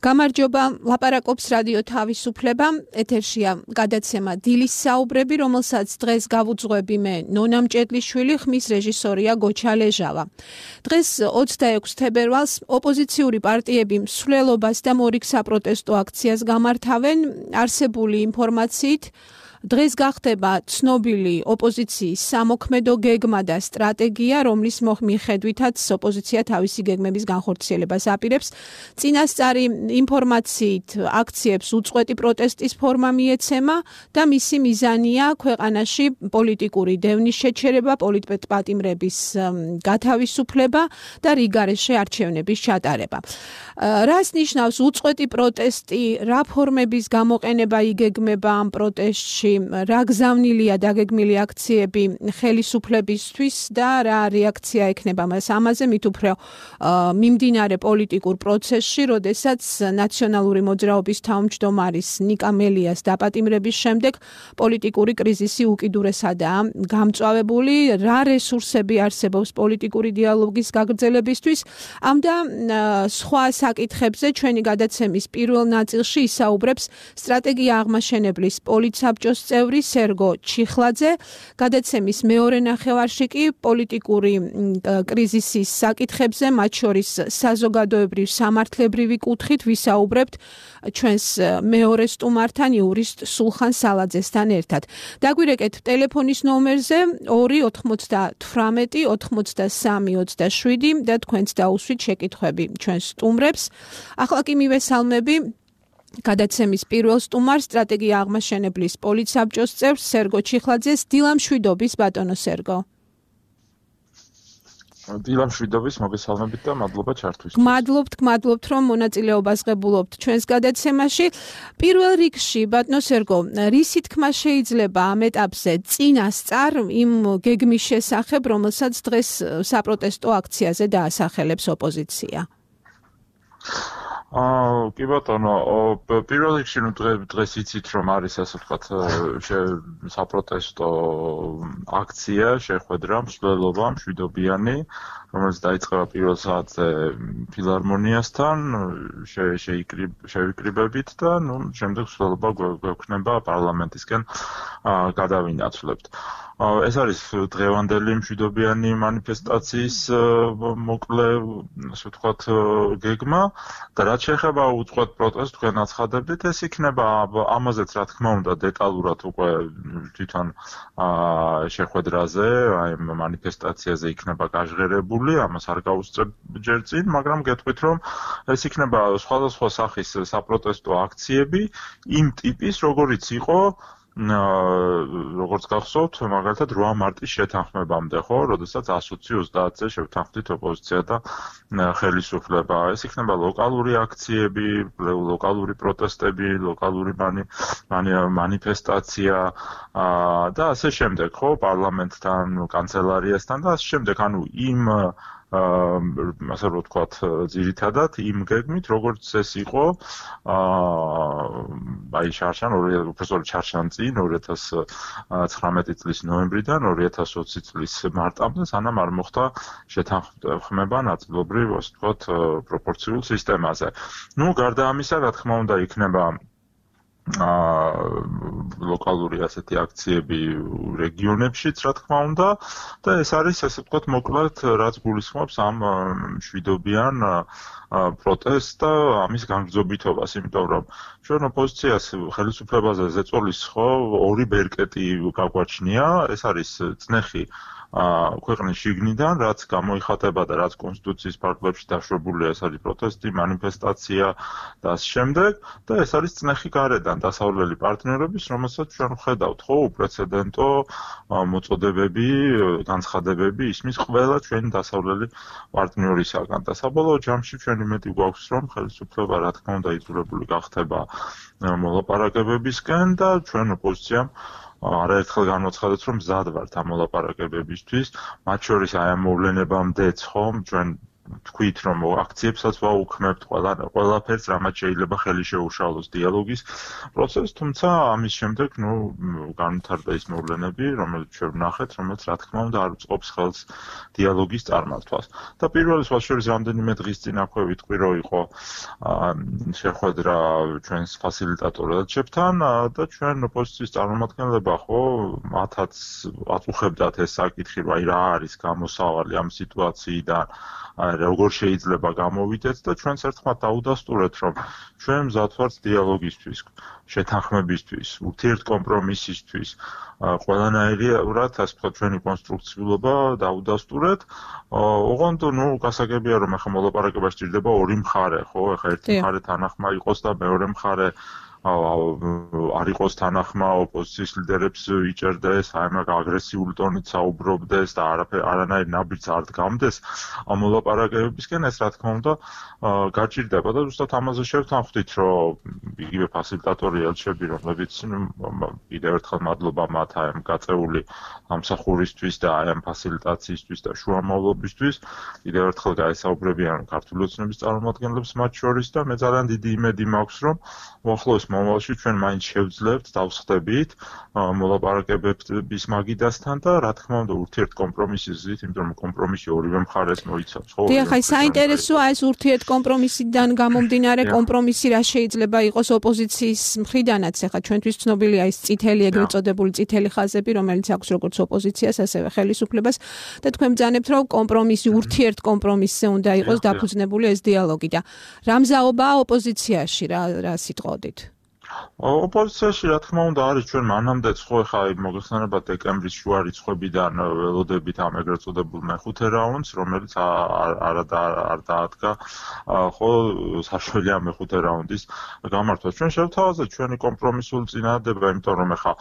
გამარჯობა, ლაპარაკობს რადიო თავისუფლება, ეთერშია გადაცემა დილის საუბრები, რომელსაც დღეს გავუძღვები მე, ნონა მჭედლიშვილი, ხმის რეჟისორია გოჩა ლეჟავა. დღეს 26 თებერვალს ოპოზიციური პარტიები მსვლელობას და მორიგ საპროტესტო აქციას გამართავენ, არსებული ინფორმაციით დღეს გახდება ცნობილი ოპოზიციის სამოქმედო გეგმა და სტრატეგია, რომლის მიხედვითაც ოპოზიცია თავისი გეგმების განხორციელებას აპირებს. წინასწარი ინფორმაციით აქციებს უწყვეტი პროტესტის ფორმა მიეცემა და მისი მიზანია ქვეყანაში პოლიტიკური დევნის შეჩერება, პოლიტპატიმრების გათავისუფლება და რიგარეშე არჩევნების ჩატარება. რას ნიშნავს უწყვეტი პროტესტი, რა ფორმების გამოყენება იგეგმება ამ პროტესტში? რა გზავნილია დაგეგმილი აქციები ხელისუფლებისთვის და რა რეაქცია ექნება მას ამაზე მით უფრო მიმდინარე პოლიტიკურ პროცესში, როდესაც ნაციონალური მოძრაობის თავმჯდომარის ნიკა მელიას დაპატიმრების შემდეგ პოლიტიკური კრიზისი უკიდურესადაა გამწვავებული, რა რესურსები არსებობს პოლიტიკური დიალოგის გაგრძელებისთვის. ამ და სხვა საკითხებზე ჩვენი გადაცემის პირველ ნაწილში ისაუბრებს სტრატეგია აღმაშენებლის პოლიტსაბჭოს წევრი სერგო ჩიხლაძე, გადაცემის მეორე ნახევარში კი პოლიტიკური კრიზისის საკითხებზე, მათ შორის საზოგადოებრივ სამართლებრივი კუთხით ვისაუბრებთ ჩვენს მეორე სტუმართან იურისტ სულხან სალაძესთან ერთად. დაგვირეკეთ ტელეფონის ნომერზე 298 83 27 და თქვენც დაუსვით შეკითხვები ჩვენს სტუმრებს. ახლა კი მივესალმები გადაცემის პირველ სტუმარს, სტრატეგია აღმაშენებლის პოლიტსაბჭოს წევრს სერგო ჩიხლაძეს. დილამშვიდობის ბატონო სერგო. დილამშვიდობის, მოგესალმებით და მადლობა ჩართვისთვის. გმადლობთ, რომ მონაწილეობას ღებულობთ ჩვენს გადაცემაში. პირველ რიგში, ბატონო სერგო, რისი თქმა შეიძლება ამ ეტაპზე წინასწარ იმ გეგმის შესახებ, რომელსაც დღეს საპროტესტო აქციაზე დაასახელებს ოპოზიცია? კი ბატონო, პირველ რიგში დღეს იცით რომ არის ასე ვთქვათ საპროტესტო აქცია, შეხვედრა, მსვლელობა მშვიდობიანი, რომელიც დაიწყება პირველ საათზე ფილარმონიასთან, შევიკრიბებით და შემდეგ მსვლელობა გვექნება პარლამენტისკენ გადავინაცვლებთ. ეს არის დღევანდელი მშვიდობიანი მანიფესტაციის მოკლე, ასე ვთქვათ, გეგმა და რაც შეეხება უწყვეტ პროტესტს, თქვენ აცხადებდით, ეს იქნება ამაზეც რა თქმა უნდა დეტალურად უკვე თვითონ შეხვედრაზე, აი მანიფესტაციაზე იქნება გაჟღერებული, ამას არ გავუსწრებ ჯერ წინ, მაგრამ გეტყვით რომ ეს იქნება სხვადასხვა სახის საპროტესტო აქციები იმ ტიპის, როგორიც იყო როგორც გახსოვთ, მაგალითად 8 მარტის შეთანხმებამდე, ხო, როდესაც 120-30-ზე შევთანხმდით ოპოზიცია და ხელისუფლება. ეს იქნება ლოკალური აქციები, ლოკალური პროტესტები, ლოკალური მანიფესტაცია და ასე შემდეგ, ხო, პარლამენტთან, კანცელარიასთან და ასე შემდეგ, ანუ იმ ასე რომ ვთქვათ, ძირითადად იმ გეგმით, როგორც ეს იყო აი პროფესორი ჩარშან წინ 2019 წლის ნოემბრიდან 2020 წლის მარტამდე, სანამ არ მოხდა შეთანხმება ნაწილობრივ, ასე ვთქვათ, პროპორციულ სისტემაზე. გარდა ამისა, რა თქმა უნდა, იქნება ლოკალური ასეთი აქციები რეგიონებშიც, რა თქმა უნდა, და ეს არის, ასე ვთქვათ, მოკლედ, რაც გულისხმობს ამ მშვიდობიან პროტესტს და ამის განგრძობითობას, იმიტომ რომ ჩვენ ოპოზიციას ხელისუფლებაზე ზეწოლის ორი ბერკეტი გაგვაჩნია, ეს არის წნეხი ქვეყნის შიგნიდან, რაც გამოიხატება და რაც კონსტიტუციის ფარგლებში დაშვებულია, ეს არის პროტესტი, მანიფესტაცია და ასე შემდეგ, და ეს არის წნეხი გარედან დასავლელი პარტნიორების, რომელსაც ჩვენ ვხედავთ, ხო, უპრეცედენტო მოწოდებები, განცხადებები ისმის ყველა ჩვენი დასავლელი პარტნიორისაგან და საბოლოო ჯამში ჩვენ იმედი გვაქვს, რომ ხელისუფლება რა თქმა უნდა იძულებული გახდება მოლაპარაკებებისკენ და ჩვენ ოპოზიციამ არაერთხელ განვაცხადეთ, რომ მზად ვართ ამ მოლაპარაკებებისთვის, მათ შორის აი ამ მოვლენებამდეც, ხო, ჩვენ თქვით, რომ აქციებსაც ვაუქმებთ, ყველაფერს, რამაც შეიძლება ხელი შეუშალოს დიალოგის პროცესს, თუმცა ამის შემდეგ, განვითარდა ის მოვლენები, რომელიც ჩვენ ვნახეთ, რომელიც რა თქმა უნდა არ უწყობს ხელს დიალოგის წარმართვას. და პირველი სხვა შორის რამდენიმე დღის წინ აქვე ვიტყვი, რომ იყო შეხვედრა ჩვენს ფასილიტატორებთან და ჩვენ ოპოზიციის წარმომადგენლება ხო მათაც აწუხებდათ ეს საკითხი, რომ რა არის გამოსავალი ამ სიტუაციიდან, როგორ შეიძლება გამოვიდეთ და ჩვენც ერთხმად დაუდასტურეთ, რომ ჩვენ მზად ვართ დიალოგისთვის, შეთანხმებისთვის, ურთიერთკომპრომისისთვის, ყველანაირად, ასე ვთქვათ, ჩვენი კონსტრუქციულობა დაუდასტურეთ. ოღონდ, გასაგებია, რომ ახლა მოლაპარაკება სჭირდება ორი მხარე, ხო? ახლა ერთი მხარე თანახმა იყოს და მეორე მხარე არ იყოს თანახმა, ოპოზიციის ლიდერებს იჭერდეს, მაგ აგრესიული ტონით საუბრობდეს და არანაირ ნაბიჯს არ დგამდეს ამ მოლაპარაკებებისკენ, ეს რა თქმა უნდა გაჭირდება და ზუსტად ამაზე შევთანხმდით, რომ იგივე ფასილიტატორი ელჩები, რომლებიც კიდევ ერთხელ მადლობა მათ ამ გაწეული ამსახურისთვის და ამ ფასილიტაციისთვის და შუამავლობისთვის, კიდევ ერთხელ გაესაუბრებიან ქართული ოცნების წარმომადგენლებს მათ შორის და მე ძალიან დიდი იმედი მაქვს, რომ უახლოეს მომავალში ჩვენ მაინც შევძლებთ, დავსხდებით მოლაპარაკებების მაგიდასთან და რა თქმა უნდა ურთიერთკომპრომისის ზრით, იმიტომ რომ კომპრომისი ორივე მხარეს მოიცავს, ხო? დიახ, აი საინტერესოა ეს ურთიერთკომპრომისიდან გამომდინარე კომპრომისი რა შეიძლება იყოს ოპოზიციის მხრიდანაც, ახლა ჩვენთვის ცნობილია ის წითელი, ეგრეთ წოდებული წითელი ხაზები, რომელიც აქვს როგორც ოპოზიციას, ასევე ხელისუფლებას და თქვენ ბრძანებთ, რომ კომპრომისი, ურთიერთკომპრომისზე უნდა იყოს დაფუძნებული ეს დიალოგი და რა მზაობაა ოპოზიციაში, რა სიტყვოდით? ოპოზიციაში რა თქმა უნდა არის ჩვენ მანამდეც ხო ხა მოგეხსენებათ დეკემბრის შუა რიცხვებიდან ველოდებით ამ ეგრეთ წოდებულ მეხუთე რაუნდს, რომელიც არ დაადგა ხო საშუალო ამ მეხუთე რაუნდის გამართვას. ჩვენ შევთავაზეთ ჩვენი კომპრომისული წინადადება, იმიტომ რომ ხა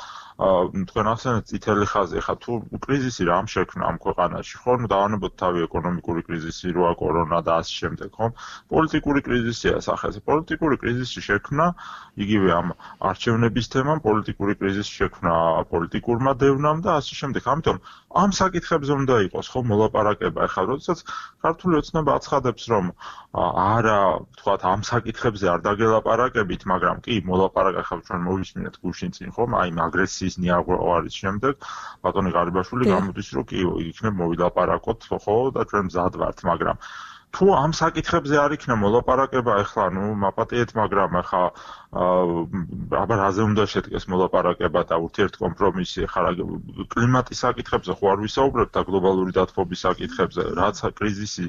თქვენ ახსენეთ წითელი ხაზი, ხა თუ კრიზისი რამ შექმნა ამ ქვეყანაში, ხო დავანებოთ თავი ეკონომიკური კრიზისი, როა კორონა და ასე შემდეგ, ხო? პოლიტიკური კრიზისია სახეზე. პოლიტიკური კრიზისი შექმნა იგივე ამ არჩევნების თემამ, პოლიტიკური კრიზისი შექმნა პოლიტიკურმა დევნამ და ასე შემდეგ. ამიტომ ამ საკითხებზე უნდა იყოს ხო მოლაპარაკება. ახლა როდესაც ქართული ოცნება აცხადებს, რომ არა, თქვათ, ამ საკითხებზე არ დაგელაპარაკებით, მაგრამ კი მოლაპარაკება ახლა ჩვენ მოვისმინეთ გუშინ წინ ხომ, აი აგრესიის ნიაღვარის შემდეგ ბატონი ღარიბაშვილი გამოდის, რომ კი იქნებ მოვილაპარაკოთ, ხო და ჩვენ მზად ვართ, მაგრამ თუ ამ საკითხებზე არ იქნა მოლაპარაკება, ახლა მაპატიეთ, მაგრამ ახლა აბა რაზე უნდა შედგეს მოლაპარაკება და ურთიერთკომპრომისი, ახლა კლიმატის საკითხებზე ხო არ ვისაუბრებთ და გლობალური დათბობის საკითხებზე, რაც კრიზისი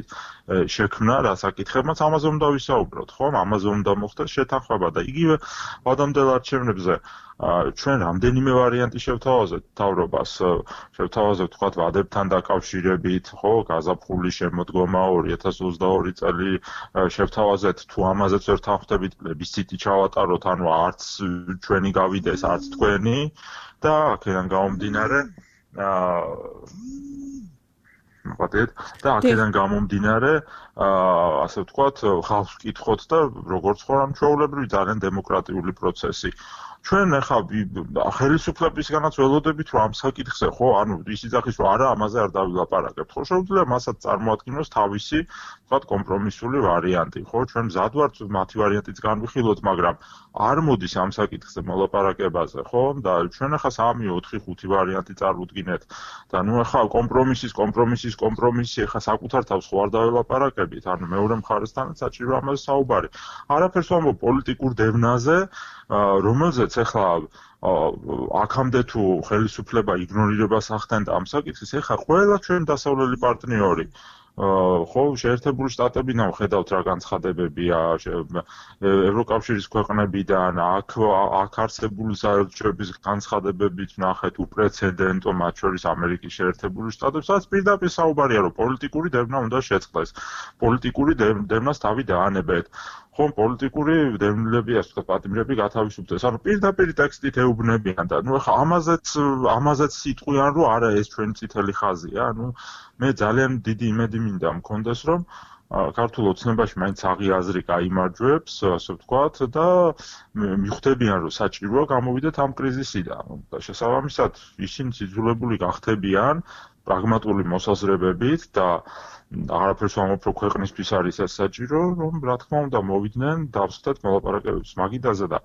შექმნა, რა საკითხებმაც ამაზე უნდა ვისაუბროთ, ხო? ამაზე უნდა მოხდეს შეთანხმება და იგივე ადამიანთა არჩევნებზე ჩვენ რამდენიმე ვარიანტი შევთავაზეთ მთავრობას, შევთავაზეთ თქვათ ვადებთან დაკავშირებით, ხო, გაზაფხულის შემოდგომა 2022 წელი შევთავაზეთ, თუ ამაზეც ვერ თანხმდებით, პლებისციტი ჩავატაროთ, ანუ არც ჩვენი გავიდეს, არც თქვენი და აქედან გამომდინარე აქედან გამომდინარე, ასე ვთქვათ, ხალხს ვკითხოთ და როგორც ხო ამ ჩვეულებრივი ძალიან დემოკრატიული პროცესი. ჩვენ ახლა ხელისუფლებისგანაც ველოდებით, რომ ამ საკითხზე ხო, ანუ ის იძახის, რომ არა, ამაზე არ დავილაპარაკებთ. ხო, შეუძლია მასაც წარმოადგინოს თავისი, ვთქვათ, კომპრომისული ვარიანტი, ხო? ჩვენ მზად ვართ მათი ვარიანტიც განვიხილოთ, მაგრამ არ მოდის ამ საკითხზე მოლაპარაკებაზე, ხო? და ჩვენ ახლა 3-4-5 ვარიანტი წარმოვდგინეთ და ახლა კომპრომისი ახლა საკუთარ თავს ხო არ დავილაპარაკებით, ანუ მეორე მხარესთანაც საჭირო ამაზე საუბარი. არაფერს ვამბობ პოლიტიკურ დევნაზე, რომელზეც ახლა აქამდე თუ ხელისუფლება იგნორირებას ახდენდა ამ საკითხის, ახლა ყველა ჩვენ დასავლელი პარტნიორი ხო, შეერთებული შტატებიდან ვხედავთ რა განცხადებებია, ევროკავშირის ქვეყნებიდან, აქ არსებული საელჩოების განცხადებებით ვნახეთ უპრეცედენტო, მათ შორის ამერიკის შეერთებული შტატებს, სადაც პირდაპირ საუბარია, რომ პოლიტიკური დევნა უნდა შეწყდეს, პოლიტიკური დევნას თავი დაანებეთ. ხომ პოლიტიკური დევნილები, ასე ვთქვათ, პატიმრები გათავისუფლდეს. ანუ პირდაპირ ტექსტით ეუბნებიან და ახლა ამაზეც სიტყვიან, რომ არა ეს ჩვენი წითელი ხაზია. მე ძალიან დიდი იმედი მინდა მქონდეს, რომ ქართულ ოცნებაში მაინც აღი აზრი გაიმარჯვებს, ასე ვთქვათ, და მიხვდებიან, რომ საჭიროა გამოვიდეთ ამ კრიზისიდან. და შესაბამისად, ისინი იძულებული გახდებიან პრაგმატული მოსაზრებებით და აღარაფერს ვამბობ, რომ ქვეყნისთვის არის ეს საჭირო, რომ რა თქმა უნდა მოვიდნენ, დავსხდეთ მოლაპარაკებებს მაგიდაზე და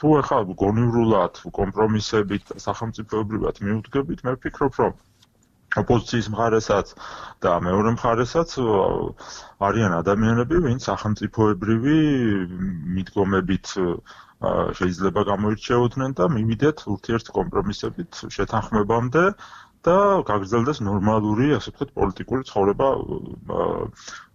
თუ ახლა გონივრულად კომპრომისებით სახელმწიფოებრივად მივუდგებით, მე ვფიქრობ, რომ ოპოზიციის მხარესაც და მეორე მხარესაც არიან ადამიანები, ვინც სახელმწიფოებრივი მიდგომებით შეიძლება გამოირჩეოდნენ და მივიდეთ ურთიერთ კომპრომისებით შეთანხმებამდე და გაგრძელდეს ნორმალური, ასე ვთქვათ, პოლიტიკური ცხოვრება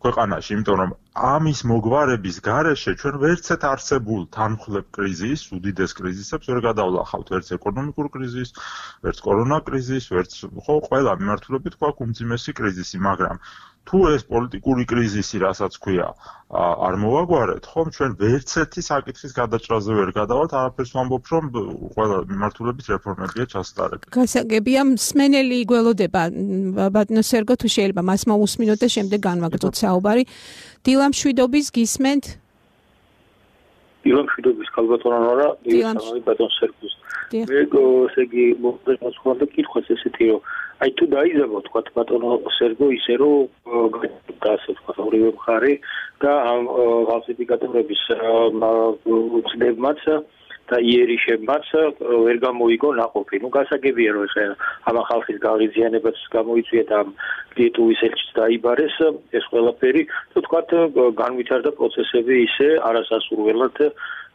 ქვეყანაში, იმიტომ რომ ამის მოგვარების გარეშე ჩვენ ვერცეთ არსებულ თანმხლებ კრიზისს, უდიდეს კრიზისებს ვერ გადავლახავთ, ვერც ეკონომიკურ კრიზისს, ვერც კორონა კრიზისს, ვერც ყველა მიმართულებით გვაქვს უმძიმესი კრიზისი, მაგრამ თუ ეს პოლიტიკური კრიზისი, რასაც ქვია, არ მოვაგვარეთ, ხომ ჩვენ ვერცერთი საკითხის გადაჭრაზე ვერ გადავალთ, არაფერს ვამბობ, რომ ყველა მიმართულებით რეფორმებია ჩასატარებელი. გასაგებია, მსმენელი გველოდება, ბატონო სერგო, თუ შეიძლება მას მოусმინოთ და შემდეგ განვაგრძოთ საუბარი. დილა მშვიდობის გისმენთ? დილა მშვიდობის ქალბატონო ნორა, ბატონ სერგოს. მე ესე იგი მოსხონდა კითხვას ესეთი რომ აი თუ დაიზარდო თქვა ბატონო სერგო ისე რომ ასე თქვა ორივე მხარე და ამ ფალსიფიკატორების ცდებმაც და იერიშებმაც ვერ გამოიგო ნაყოფი. ნუ გასაგებია რომ ეს ამ ხალხის გაღიზიანებას გამოიწვია და ლიტვის ელჩიც დაიბარეს ეს ყველაფერი და თქვა განვითარდა პროცესები ისე არასასურველად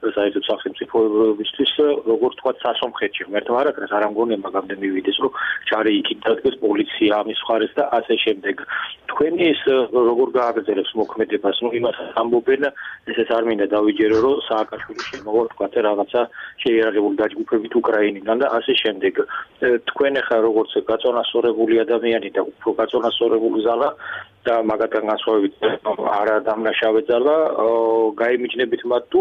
საერთოდ სახელმწიფოებისთვის როგორც თქვა სასომხეთში ღმერთმა არაკრას არ ამგონია მაგამდე მივიდეს რომ ჯარი იქით დადგეს პოლიცია ამის მხარეს და ასე შემდეგ თქვენი ეს როგორ გააგრძელებს მოქმედებას ნუ იმას ამბობენ ესეც არ მინდა დავიჯერო რომ სააკაშვილი შემოვა თქვა რაღაცა შეიარაღებული დაჯგუფებით უკრაინიდან და ასე შემდეგ თქვენ ახლა როგორც გაწონასწორებული ადამიანი და უფრო გაწონასწორებული ზალა და მაგათგან განსხვავებით არა დამნაშავე ზალა გაიმიჯნებით მათ თუ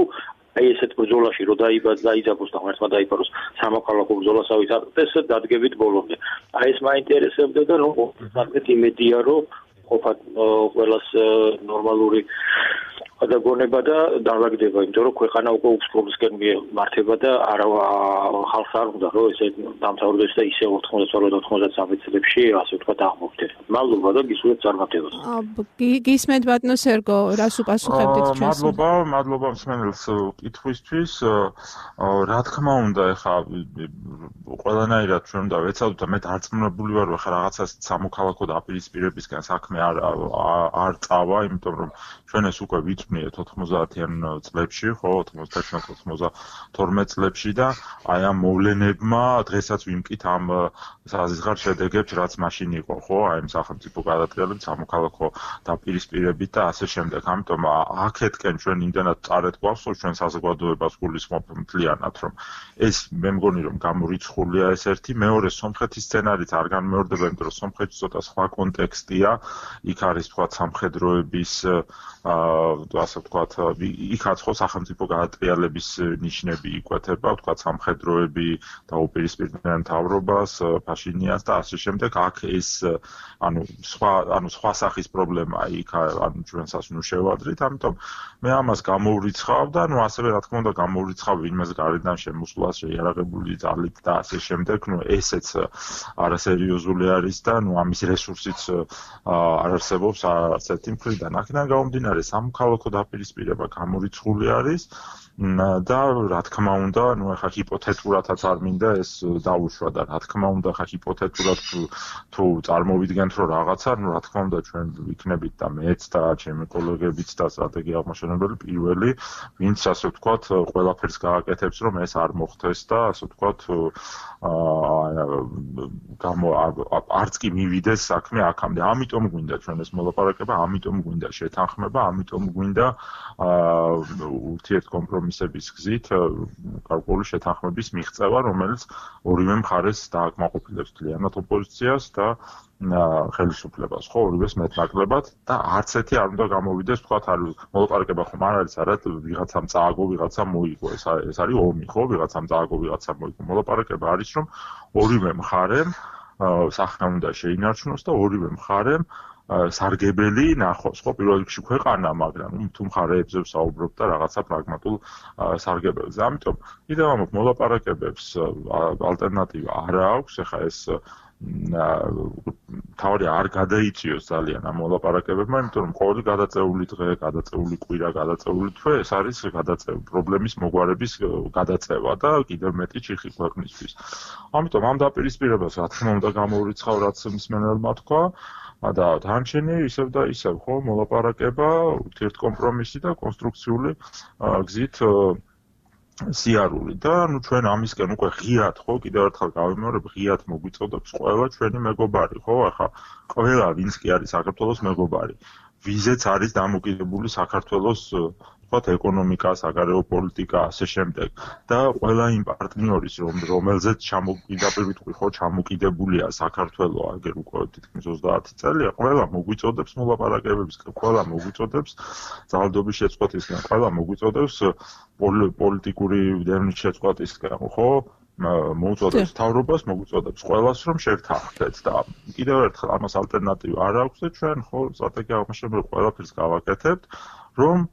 აი ესეთ ბრძოლაში რო დაიძაბოს და ღმერთმა დაიფაროს სამოქალაქო ბრძოლასავით აკეთეს დადგებით ბოლომდე. აი ეს მაინტერესებდა და ნუ საკეთ იმედია რომ ყოფა ყველას ნორმალური გადაგონება და დაალაგდება, იმიტომ რომ ქვეყანა უკვე უცხოებისკენ მართება და არა ხალხს არ უნდა რომ ესე დამთავრდეს და ისე 92-93 წლებში ასე ვთქვათ აღმოჩნდეს. მადლობა და გისურვებთ წარმატებას. გისმენთ ბატონო სერგო, რას უპასუხებდით ჩვენს? მადლობა მსმენელს კითხვისთვის. რა თქმა უნდა, ეხა ყველანაირად ჩვენ უნდა ვეცადოთ და მე დარწმუნებული ვარ, რომ ხა რაღაცას სამოქალაქო დაპირისპირებისგან საქმე არ წავა, იმიტომ რომ ჩვენ ეს უკვე ვიწვნიეთ 90-იან წლებში, ხო, 91-92 წლებში და აი ამ მოვლენებმა დღესაც ვიმკით ამ საზღარ შედეგებს, რაც მაშინ იყო, ხო, აი ამ სახელმწიფო გადატრიალებით, სამოქალაქო დაპირისპირებით და ასე შემდეგ. ამიტომ აქეთკენ ჩვენ იმდენად წარეთ გვაქვს, რომ ჩვენ საზოგადოებას გულისხმობ მთლიანად, რომ ეს მე მგონი რომ გამორიცხულია ეს ერთი, მეორე სომხეთის სცენარით არ განმეორდება, იმიტომ რომ სომხეთი ცოტა სხვა კონტექსტია, იქ არის თქვა სამხედროების ასე ვთქვათ, იქაც ხო სახელმწიფო გადატრიალების ნიშნები იკვეთება, ვთქვათ, სამხედროები დაუპირისპირდნენ მთავრობას, ფაშინიანს და ასე შემდეგ. აქ ეს სხვა სახის პრობლემაა იქ, ჩვენსაც ნუ შევადრით, ამიტომ მე ამას გამოვრიცხავ და ასევე რა თქმა უნდა გამოვრიცხავ ვინმეს გარედან შემოსვლას შეიარაღებული ძალით და ასე შემდეგ. ესეც არასერიოზული არის და ამის რესურსიც არ არსებობს არც ერთი მხრიდან. აქედან გამომდინარე სამოქალაქო დაპირისპირება გამორიცხული არის და რა თქმა უნდა, ახლა ჰიპოთეტურადაც არ მინდა ეს დაუშვა და რა თქმა უნდა, ახლა ჰიპოთეტურად თუ წარმოვიდგენთ რომ რაღაცა, რა თქმა უნდა ჩვენ ვიქნებით და მეც და ჩემი კოლეგებიც და სტრატეგია აღმაშენებელი პირველი, ვინც ასე ვთქვათ, ყველაფერს გააკეთებს რომ ეს არ მოხდეს და ასე ვთქვათ, არც კი მივიდეს საქმე აქამდე. ამიტომ გვინდა ჩვენ ეს მოლაპარაკება, ამიტომ გვინდა შეთანხმება, ამიტომ გვინდა ურთიერთ კომპრომისების გზით გარკვეული შეთანხმების მიღწევა, რომელიც ორივე მხარეს დააკმაყოფილებს მთლიანად ოპოზიციას და ხელისუფლებას, ხო, ორივეს მეტნაკლებად და არც ერთი არ უნდა გამოვიდეს, თქვათ, მოლაპარაკება ხომ არ არის, არა, ვიღაცამ წააგო, ვიღაცამ მოიგო, ეს არის ომი, ხო, ვიღაცამ წააგო, ვიღაცამ მოიგო. მოლაპარაკება არის, რომ ორივე მხარემ სახნა უნდა შეინარჩუნოს და ორივე მხარემ სარგებელი ნახოს, ხო, პირველ რიგში ქვეყანა, მაგრამ თუ მხარეებზე ვსაუბრობ და რაღაცა პრაგმატულ სარგებელზე. ამიტომ კიდევ ამბობ, მოლაპარაკებებს ალტერნატივა არა აქვს, ეხა ეს თავი არ გადაიწიოს ძალიან ამ მოლაპარაკებებმა, იმიტომ რომ ყოველი გადაწეული დღე, გადაწეული კვირა, გადაწეული თვე ეს არის პრობლემის მოგვარების გადაწევა და კიდევ მეტი ჩიხი ქვეყნისთვის. ამიტომ ამ დაპირისპირებას რა თქმა უნდა გამოურიცხავ, რაც მსმენელმა თქვა და დანარჩენი ისევ და ისევ ხო მოლაპარაკება, ურთიერთკომპრომისი და კონსტრუქციული გზით სიარული და ჩვენ ამისკენ უკვე ღიად ხო კიდევ ერთხელ გავიმეორებ ღიად მოგვიწოდებს ყველა ჩვენი მეგობარი ხო ახლა ყველა ვინც კი არის საქართველოს მეგობარი ვიზეც არის დამოკიდებული საქართველოს ვთქვათ ეკონომიკა, საგარეო პოლიტიკა ასე შემდეგ და ყველა იმ პარტნიორის რომელზეც ჩამოკიდებულია საქართველო აგერ უკვე თითქმის 30 წელია ყველა მოგვიწოდებს მოლაპარაკებებისკენ ყველა მოგვიწოდებს ძალადობის შეწყვეტისკენ ყველა მოგვიწოდებს პოლიტიკური დევნით შეწყვეტისკენ ხო მოუწოდებს თავრობას მოგვიწოდებს ყველას რომ შევთანხმდეთ და კიდევ ერთხელ ამას ალტერნატივა არ აქვს და ჩვენ ხო სტრატეგია აღმაშენებელი ყველაფერს გავაკეთებთ რომ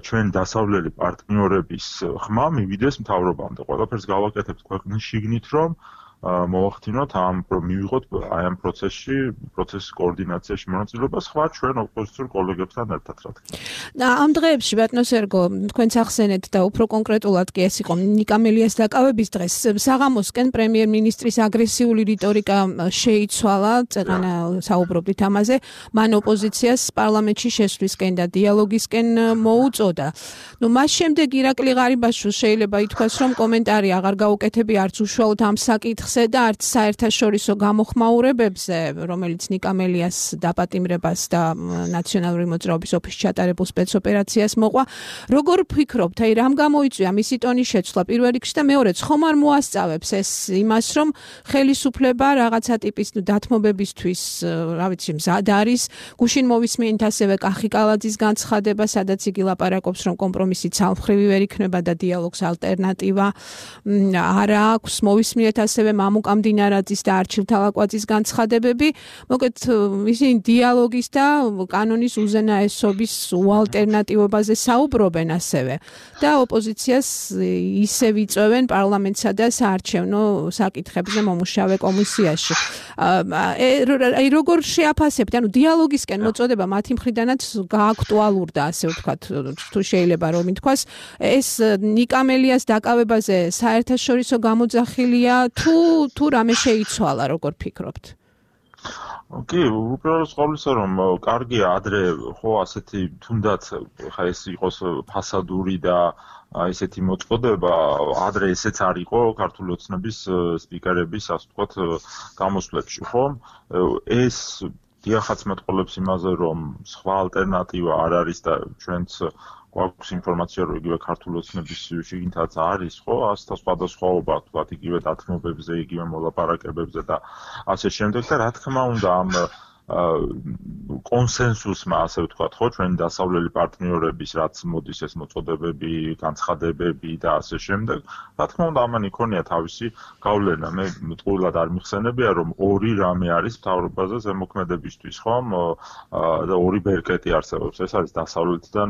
ჩვენ დასავლელი პარტნიორების ხმა მივიდეს მთავრობამდე. ყველაფერს გავაკეთებთ ქვეყნის შიგნით, რომ მოვახდინოთ მივიღოთ აი ამ პროცესის კოორდინაციაში მონაწილეობა სხვა ჩვენ ოპოზიციურ კოლეგებთან ერთად რა თქმა უნდა. ამ დღეებში ბატონო სერგო, თქვენც ახსენეთ და უფრო კონკრეტულად კი ეს იყო ნიკა მელიას დაკავების დღეს. საღამოსკენ პრემიერ-მინისტრის აგრესიული რიტორიკა შეიცვალა, წეღანა საუბრობდით ამაზე, მან ოპოზიციას პარლამენტში შესვლისკენ და დიალოგისკენ მოუწოდა. მას შემდეგ ირაკლი ღარიბაშვილს შეიძლება ითქვას, რომ კომენტარი აღარ გაუკეთებია არც უშუალოდ ამ საკითხს და არც საერთაშორისო გამოხმაურებებზე, რომელიც ნიკა მელიას დაპატიმრებას და ნაციონალური მოძრაობის ოფისში ჩატარებულ სპეცოპერაციას მოყვა. როგორ ფიქრობთ, აი რამ გამოიწვია მისი ტონის შეცვლა პირველ რიგში და მეორედ, ხომ არ მოასწავებს ეს იმას, რომ ხელისუფლება რაღაცა ტიპის დათმობებისთვის, რა ვიცი, მზად არის, გუშინ მოვისმენთ ასევე კახი კალაძის განცხადება, სადაც იგი ლაპარაკობს, რომ კომპრომისი ცალმხრივი ვერ იქნება და დიალოგს ალტერნატივა არ აქვს. მოვისმენთ ასევე მამუკამ დინარაძის და არჩილ თალაკვაძის განცხადებები, მოკლედ ისინი დიალოგის და კანონის უზენაესობის უალტერნატივობაზე საუბრობენ ასევე და ოპოზიციას ისევ იწვევენ პარლამენტსა და საარჩევნო საკითხებზე მომუშავე კომისიაში. აი როგორ შეაფასებთ, ანუ დიალოგისკენ მოწოდება მათი მხრიდანაც გააქტუალურდა, ასე ვთქვათ, თუ შეიძლება რომ ითქვას, ეს ნიკა მელიას დაკავებაზე საერთაშორისო გამოძახილია თუ რამე შეიცვალა, როგორ ფიქრობთ? კი, უბრალოდ ყოვლისა რომ კარგია ადრე ხო ასეთი თუნდაც ხა ეს იყოს ფასადური და ესეთი მოწოდება, ადრე ესეც არ იყო ქართული ოცნების სპიკერების, ასე ვთქვათ, გამოსვლებში, ხო? ეს დიახაც მეტყოლებს იმაზე, რომ სხვა ალტერნატივა არ არის და ჩვენც გვაქვს ინფორმაცია, რომ იგივე ქართული ოცნების შიგნითაც არის, ხო, ასთა სხვადასხვაობა, თქვათ, იგივე დათმობებზე, იგივე მოლაპარაკებებზე და ასე შემდეგ და რა თქმა უნდა ამ კონსენსუსმა, ასე ვთქვათ, ხო, ჩვენი დასავლელი პარტნიორების, რაც მოდის ეს მოწოდებები, განცხადებები და ასე შემდეგ, რა თქმა უნდა, ამან იქონია თავისი გავლენა. მე ტყუილად არ მიხსენებია, რომ ორი რამე არის მთავრობაზე ზემოქმედებისთვის, ხომ? და ორი ბერკეტი არსებობს. ეს არის დასავლეთიდან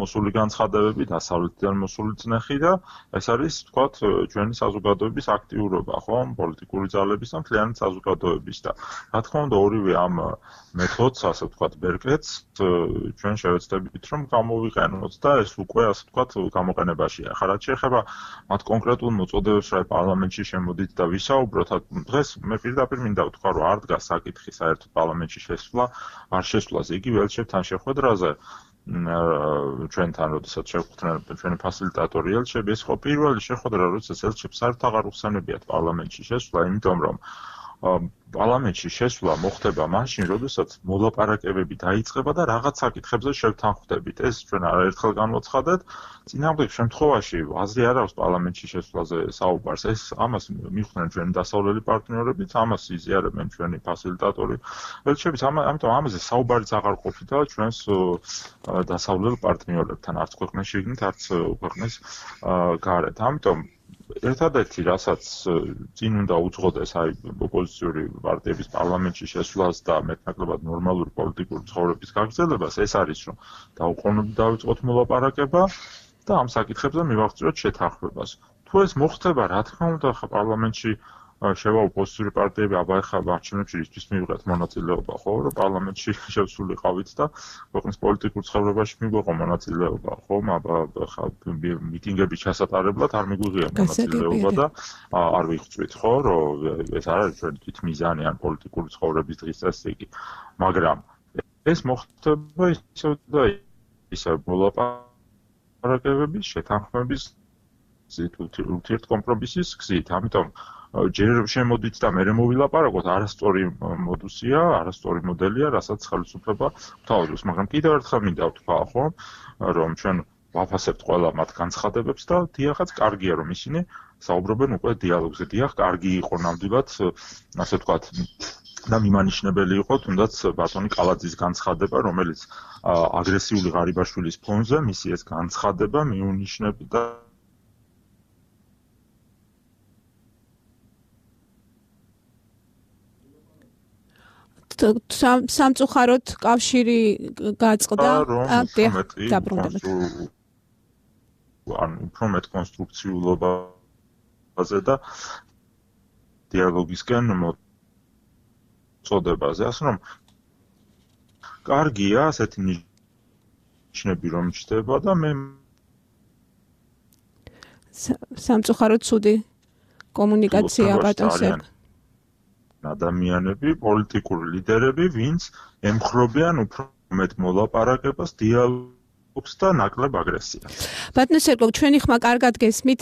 მოსული განცხადებები, დასავლეთიდან მოსული წნეხი და ეს არის, ვთქვათ, ჩვენი საზოგადოების აქტიურობა, ხომ? პოლიტიკური ძალების და მთლიანი საზოგადოების და რა თქმა უნდა, ორივე ამ მეთოდს, ასე ვთქვათ, ბერკეტს ჩვენ შევეცდებით, რომ გამოვიყენოთ და ეს უკვე, ასე ვთქვათ, გამოყენებაშია. ახლა რაც შეეხება მათ კონკრეტულ მოწოდებებს, რა პარლამენტში შემოდით და ვისაუბროთ, დღეს მე პირდაპირ მინდა ვთქვა, რომ არ დგას საკითხი საერთოდ პარლამენტში შესვლა, არ შესვლაზე, იგი ველჩებთან შეხვედრაზე ჩვენთან, როდესაც შევხვდნენ ჩვენი ფასილიტატორი ელჩები, ეს ხო პირველი შეხვედრა, როდესაც ელჩებს საერთოდ აღარ უხსენებიათ პარლამენტში შესვლა, იმიტომ რომ პარლამენტში შესვლა მოხდება მაშინ, როდესაც მოლაპარაკებები დაიწყება და რაღაც საკითხებზე შევთანხმდებით. ეს ჩვენ არაერთხელ განვაცხადეთ. წინააღმდეგ შემთხვევაში აზრი არ აქვს პარლამენტში შესვლაზე საუბარს. ეს ამას მიხვდნენ ჩვენი დასავლელი პარტნიორებიც, ამას იზიარებენ ჩვენი ფასილიტატორი ელჩებიც, ამიტომ ამაზე საუბარიც აღარ ყოფილა ჩვენს დასავლელ პარტნიორებთან, არც ქვეყნის შიგნით, არც ქვეყნის გარეთ. ამიტომ ერთადერთი, რასაც წინ უნდა უძღოდეს აი ოპოზიციური პარტიების პარლამენტში შესვლას და მეტნაკლებად ნორმალური პოლიტიკური ცხოვრების გაგრძელებას, ეს არის, რომ დაუყოვნებლივ დავიწყოთ მოლაპარაკება და ამ საკითხებზე მივაღწიოთ შეთანხმებას. თუ ეს მოხდება, რა თქმა უნდა, ხა პარლამენტში შევა ოპოზიციური პარტიები აბა ეხლა არჩევნებში ისთვის მივიღეთ მონაწილეობა, ხო, რომ პარლამენტში შევსულიყავით და ქვეყნის პოლიტიკურ ცხოვრებაში მიგვეყო მონაწილეობა, ხო, აბა ეხლა მიტინგების ჩასატარებლად არ მიგვიღია მონაწილეობა და არ ვიხვწვით, ხო, რომ ეს არ არის ჩვენი თვითმიზანი ან პოლიტიკური ცხოვრების დღესასწაული, მაგრამ ეს მოხდება ისევ და ისევ მოლაპარაკებების, შეთანხმების გზით, ურთიერთკომპრომისის გზით, ამიტომ ჯერ შემოდით და მე მოვილაპარაკოთ, არასწორი მოდუსია, არასწორი მოდელია, რასაც ხელისუფლება თავადობს, მაგრამ კიდევ ერთხელ მინდა ვთქვა, ხო, რომ ჩვენ ვაფასებთ ყველა მათ განცხადებებს და დიახაც კარგია, რომ ისინი საუბრობენ უკვე დიალოგზე. დიახ, კარგი იყო ნამდვილად, ასე ვთქვათ, და მიმანიშნებელი იყო თუნდაც ბატონი კალაძის განცხადება, რომელიც აგრესიული ღარიბაშვილის ფონზე მისი ეს განცხადება მიუნიშნებდა სამწუხაროდ კავშირი გაწყდა დაბრუნდებით. ან უფრო მეტ კონსტრუქციულობაზე და დიალოგისკენ მოწოდებაზე, ასე რომ კარგია ასეთი ნიშნები რომ ჩდება და მე სამწუხაროდ ცუდი კომუნიკაცია ბატონს ადამიანები, პოლიტიკური ლიდერები, ვინც ემხრობიან უფრო მეტ მოლაპარაკებას, დიალოგს და ნაკლებ აგრესიას. ბატონო სერგო, ჩვენი ხმა კარგად გესმით,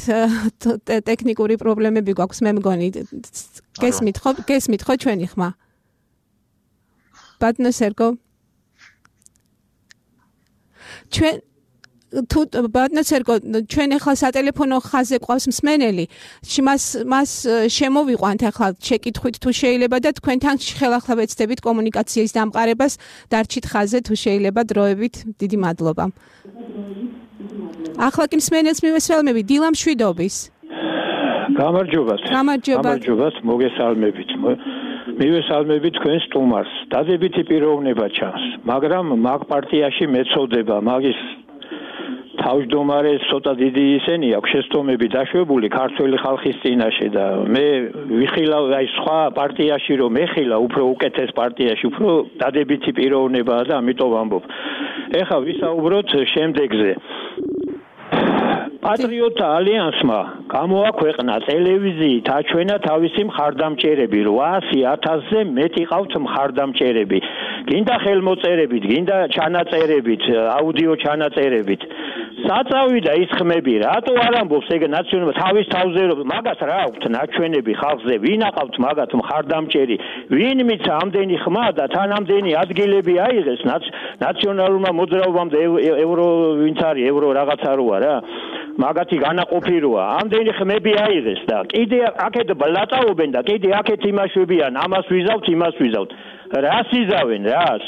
ტექნიკური პრობლემები გვაქვს, მე მგონი. გესმით ხო ჩვენი ხმა? ბატონო სერგო. თუ ბატონო სერგო, ჩვენ ახლა სატელეფონო ხაზზე ყავს მსმენელი, მას შემოვიყვანთ ახლა შეკითხვით თუ შეიძლება და თქვენთან ხელახლა ვეცდებით კომუნიკაციის დამყარებას, დარჩით ხაზზე თუ შეიძლება დროებით. დიდი მადლობა. ახლა კი მსმენელს მივესალმები დილა მშვიდობის. გამარჯობათ, მოგესალმებით. მივესალმებით თქვენ სტუმარს. დადებითი პიროვნება ჩანს, მაგრამ მაგ პარტიაში მეწოდება, მაგის თავმჯდომარე ცოტა დიდი ისენი აქვს შეცდომები დაშვებული ქართველი ხალხის წინაშე და მე ვიხილავ აი სხვა პარტიაში რომ ეხილა უფრო უკეთეს პარტიაში უფრო დადებითი პიროვნებაა და ამიტომ ვამბობ. ეხლა ვისაუბროთ შემდეგზე. პატრიოტთა ალიანსმა გამოაქვეყნა ტელევიზიით აჩვენა თავისი მხარდამჭერები 800,000-ზე მეტი ყავთ მხარდამჭერები. გინდა ხელმოწერებით, გინდა ჩანაწერებით, აუდიო ჩანაწერებით. საწავიდა ის ხმები, რატო არ ამბობს ეგ ნაციონალ თავის თავზე მაგას რა აქვთ ნაჩვენები ხალხზე, ვინ აყავთ მაგათ მხარდამჭერი, ვინ მიცა ამდენი ხმა და თან ამდენი ადგილები აიღეს ნაციონალურმა მოძრაობამ და ევრო ვინც არის ევრო რაღაცა როა რა მაგათი განაყოფი როა ამდენი ხმები აიღეს და კიდე აქეთ ბლატაობენ და კიდე აქეთ იმაშვებიან ამას ვიზავთ იმას ვიზავთ რას იზავენ რას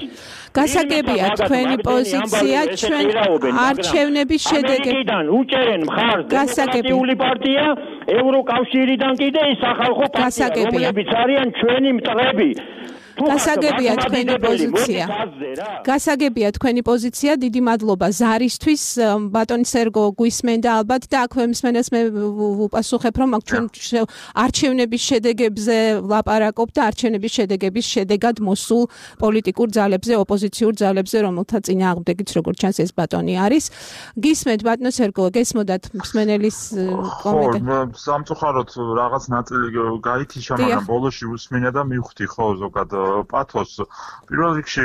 გასაგებია თქვენი პოზიცია ჩვენ არჩევნების შედეგიდან უჭერენ მხარს დემოკრატიული პარტია ევროკავშირიდან კიდე ის სახალხო პარტია რომლებიც არიან ჩვენი მტრები გასაგებია თქვენი პოზიცია დიდი მადლობა ზარისთვის ბატონი სერგო გვისმენდა ალბათ და აქვე მსმენელს მე ვუპასუხებ რომ ჩვენ არჩევნების შედეგებზე ვლაპარაკობთ და არჩევნების შედეგების შედეგად მოსულ პოლიტიკურ ძალებზე ოპოზიციურ ძალებზე რომელთა წინააღმდეგიც როგორც ჩანს ეს ბატონი არის გისმენთ ბატონო სერგო გესმოდათ მსმენელის კომენტარი სამწუხაროდ რაღაც ნაწილი გაითიშა მაგრამ ბოლოში უსმინა და მივხვდი ხო ზოგადად პათოს პირველ რიგში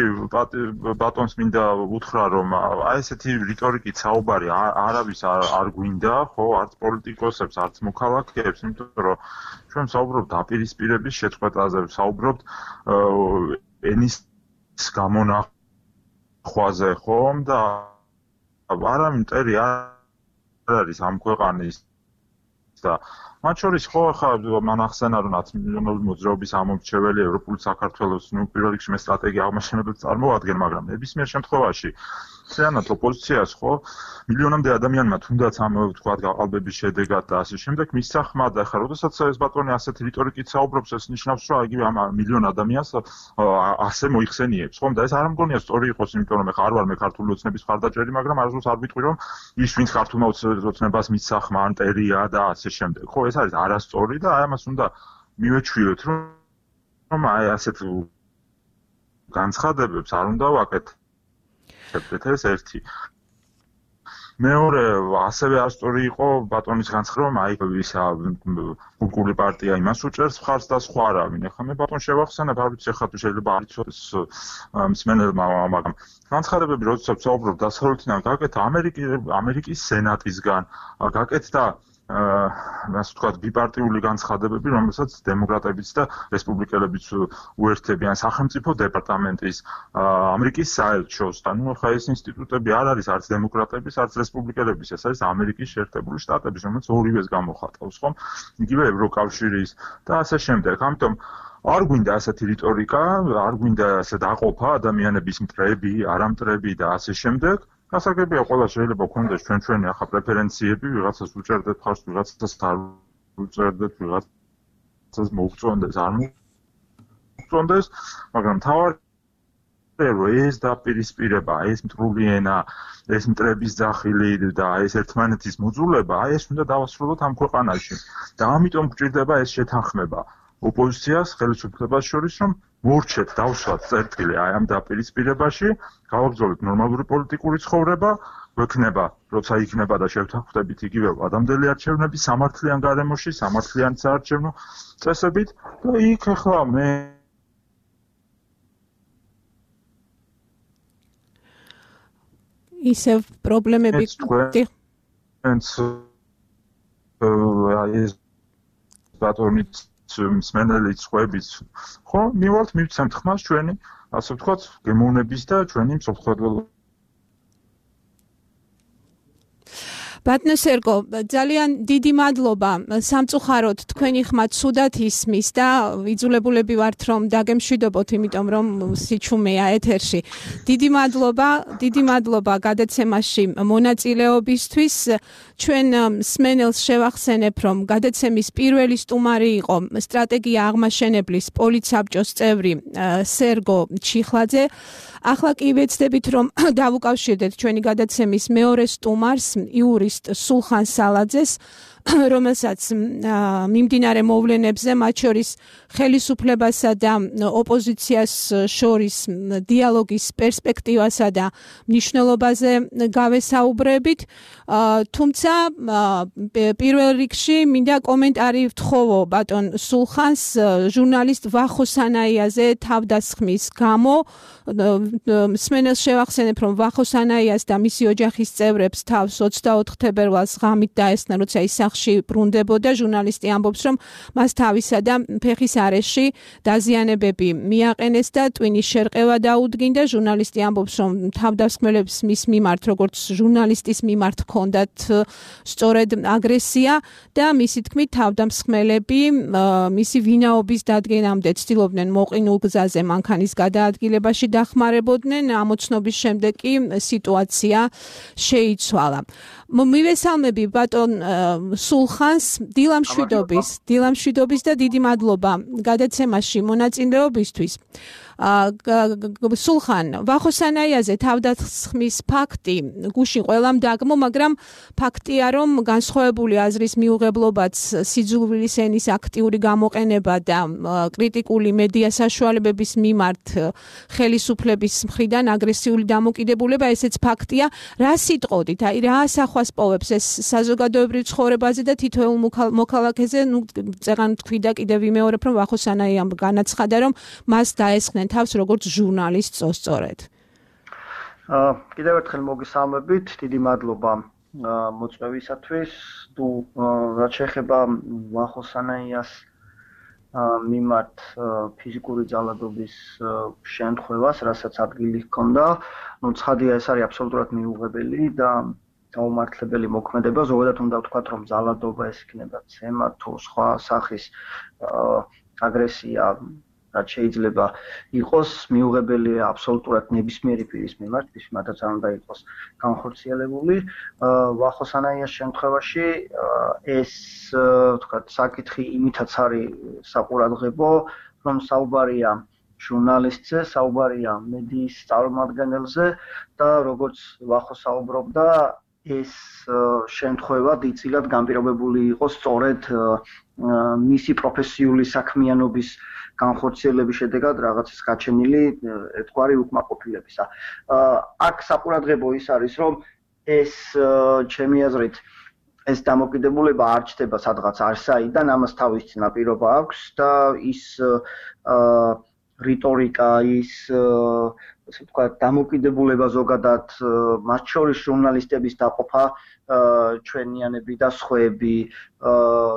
ბატონს მინდა უთხრა რომ აი ესეთი რიტორიკით საუბარი არავის არ გვინდა ხო არც პოლიტიკოსებს არც მოქალაქეებს იმიტომ რომ ჩვენ საუბრობთ დაპირისპირების შეწყვეტაზე საუბრობთ ენის გამონახვაზე ხომ და არავინ მტერი არ არის ამ ქვეყანის და მათ შორის ხო ახლა მან ახსენა რომ 10 მილიონური მოძრაობის ამომრჩეველი ევროპული საქართველოს პირველ რიგში მე სტრატეგია აღმაშენებელს წარმოადგენ მაგრამ ნებისმიერ შემთხვევაში ციანად ოპოზიციას ხო მილიონამდე ადამიანმა თუნდაც ამ თქვა გაყალბების შედეგად და ასე შემდეგ მისცა ხმა და ახლა როდესაც ეს ბატონი ასეთი რიტორიკით საუბრობს ეს ნიშნავს რომ იგივე ამ მილიონ ადამიანს ასე მოიხსენიებს ხომ და ეს არ მგონია სწორი იყოს იმიტომ რომ ახლა არ ვარ მე ქართული ოცნების მხარდაჭერი მაგრამ არასდროს არ ვიტყვი რომ ის ვინც ქართულმა ოცნებას მისცა ხმა ანტერია და ასე შემდეგ ხო ეს არის არასწორი და აი ამას უნდა მივეჩვიოთ, რომ აი ასეთ განცხადებებს არ უნდა ვაკეთებდეთ, ეს ერთი. მეორე, ასევე ასწორი იყო ბატონის განცხადება, რომ აი ისა კულტურული პარტია იმას უჭერს მხარს და სხვა არავინ. ეხლა მე ბატონ შევახსენებ, არ ვიცი ეხლა თუ შეიძლება არ იცოდეს მსმენელმა, მაგრამ განცხადებები როდესაც საუბრობ დასავლეთიდან გაკეთა ამერიკის სენატისგან, გაკეთდა ასე ვთქვათ, ბიპარტიული განცხადებები, რომელსაც დემოკრატებიც და რესპუბლიკელებიც უერთებიან სახელმწიფო დეპარტამენტის, ამერიკის საელჩოს, ანუ ხა ეს ინსტიტუტები არ არის არც დემოკრატების, არც რესპუბლიკელების, ეს არის ამერიკის შეერთებული შტატების, რომელიც ორივეს გამოხატავს, ხომ? იგივე ევროკავშირის და ასე შემდეგ. ამიტომ არ გვინდა ასეთი რიტორიკა, არ გვინდა ასე დაყოფა ადამიანების მტრები, არამტრები და ასე შემდეგ. გასაგებია ყველა შეიძლება გქონდეს ჩვენი ახლა პრეფერენციები, ვიღაცას უჭერდეთ ხარს, ვიღაცას არ უჭერდეთ, ვიღაცას მოუწონდეს, არ მოუწონდეს, მაგრამ თავარია რომ ეს დაპირისპირება, ეს მტრული ენა, ეს მტრების ძახილი და ეს ერთმანეთის მოძულება, აი ეს უნდა დავასრულოთ ამ ქვეყანაში. და ამიტომ გვჭირდება ეს შეთანხმება ოპოზიციას, ხელისუფლებას შორის, რომ მორჩეთ დავსვათ წერტილი აი ამ დაპირისპირებაში, გავაგრძელოთ ნორმალური პოლიტიკური ცხოვრება, გვექნება, როცა იქნება და შევთანხმდებით იგივე ადამიანელი არჩევნები სამართლიან გარემოში, სამართლიან საარჩევნო წესებით და იქ ახლა მე ისევ პრობლემები ეს ბატონით მსმენელიც ხვებით, ხო, მივალთ მივცემთ ხმას ჩვენი, ასე ვთქვათ, გემოვნების და ჩვენი მსოფლმხედველობის. ბატონო სერგო, ძალიან დიდი მადლობა სამწუხაროდ თქვენი ხმა ცუდად ისმის და იძულებულები ვართ რომ დაგემშვიდობოთ, იმიტომ რომ სიჩუმეა ეთერში. დიდი მადლობა გადაცემაში მონაწილეობისთვის. ჩვენ მსმენელს შევახსენებ, რომ გადაცემის პირველი სტუმარი იყო სტრატეგია აღმაშენებლის პოლიცაბჭოს წევრი სერგო ჩიხლაძე. ახლა კი ვეცდებით, რომ დავუკავშირდეთ ჩვენი გადაცემის მეორე სტუმარს, იურისტ სულხან სალაძეს, რომელსაც მიმდინარე მოვლენებზე, მათ შორის ხელისუფლებასა და ოპოზიციას შორის დიალოგის პერსპექტივასა და მნიშვნელობაზე გავესაუბრებით. თუმცა პირველ რიგში მინდა კომენტარი ვთხოვო ბატონ სულხანს ჟურნალისტ ვახო სანაიაზე თავდასხმის გამო. მსმენელს შევახსენებ, რომ ვახო სანაიას და მისი ოჯახის წევრებს თავს 24 თებერვალს ღამით დაესწრა, როცა ის სახლში ბრუნდებოდა. ჟურნალისტი ამბობს, რომ მას თავისა და ფეხის არეში დაზიანებები მიაყენეს და ტვინის შერყევა დაუდგინდა. ჟურნალისტი ამბობს, რომ თავდასხმელებს მის მიმართ, როგორც ჟურნალისტის მიმართ ჰქონდათ სწორედ აგრესია და მისი თქმით თავდამსხმელები მისი ვინაობის დადგენამდე ცდილობდნენ მოყინულ გზაზე მანქანის გადაადგილებაში დახმარებოდნენ. ამოცნობის შემდეგ კი სიტუაცია შეიცვალა. მივესალმები ბატონ სულხანს, დილამშვიდობის და დიდი მადლობა გადაცემაში მონაწილეობისთვის. სულხან, ვახო სანაიაზე თავდასხმის ფაქტი გუშინ ყველამ დაგმო, მაგრამ ფაქტია, რომ განსხვავებული აზრის მიუღებლობაც სიძულვილის ენის აქტიური გამოყენება და კრიტიკული მედია საშუალებების მიმართ ხელისუფლების მხრიდან აგრესიული დამოკიდებულება, ესეც ფაქტია. რა სიტყოდით, აი რა ასახვას პოვებს ეს საზოგადოებრივ ცხოვრებაზე და თითოეულ მოქალაქეზე, წეღან თქვი და კიდევ ვიმეორებ, რომ ვახო სანაიამ განაცხადა, რომ მას დაესხნენ თავს როგორც ჟურნალისტს სწორედ. კიდევ ერთხელ მოგესალმებით, დიდი მადლობა მოწვევისათვის. თუ რაც შეეხება ვახო სანაიას მიმართ ფიზიკური ძალადობის შემთხვევას, რასაც ადგილი ჰქონდა, ცხადია ეს არის აბსოლუტურად მიუღებელი და გაუმართლებელი მოქმედება. ზოგადად უნდა ვთქვათ, რომ ძალადობა ეს იქნება ცემა თუ სხვა სახის აგრესია, რაც შეიძლება იყოს მიუღებელია აბსოლუტურად ნებისმიერი პირის მიმართ, ვის მათაც არ უნდა იყოს განხორციელებული. ვახო სანაიას შემთხვევაში ეს ვთქვათ საკითხი იმითაც არის საყურადღებო, რომ საუბარია ჟურნალისტზე, საუბარია მედიის წარმომადგენელზე და როგორც ვახო საუბრობდა, ეს შემთხვევა დიდწილად განპირობებული იყო სწორედ მისი პროფესიული საქმიანობის განხორციელების შედეგად რაღაცის გაჩენილი ერთგვარი უკმაყოფილებისა. აქ საყურადღებო ის არის, რომ ეს ჩემი აზრით ეს დამოკიდებულება არ ჩდება სადღაც არსაიდან, ამას თავის წინაპირობა აქვს და ის რიტორიკა, ის ასე ვთქვათ, დამოკიდებულება ზოგადად, მათ შორის ჟურნალისტების დაყოფა, ჩვენიანები და სხვები,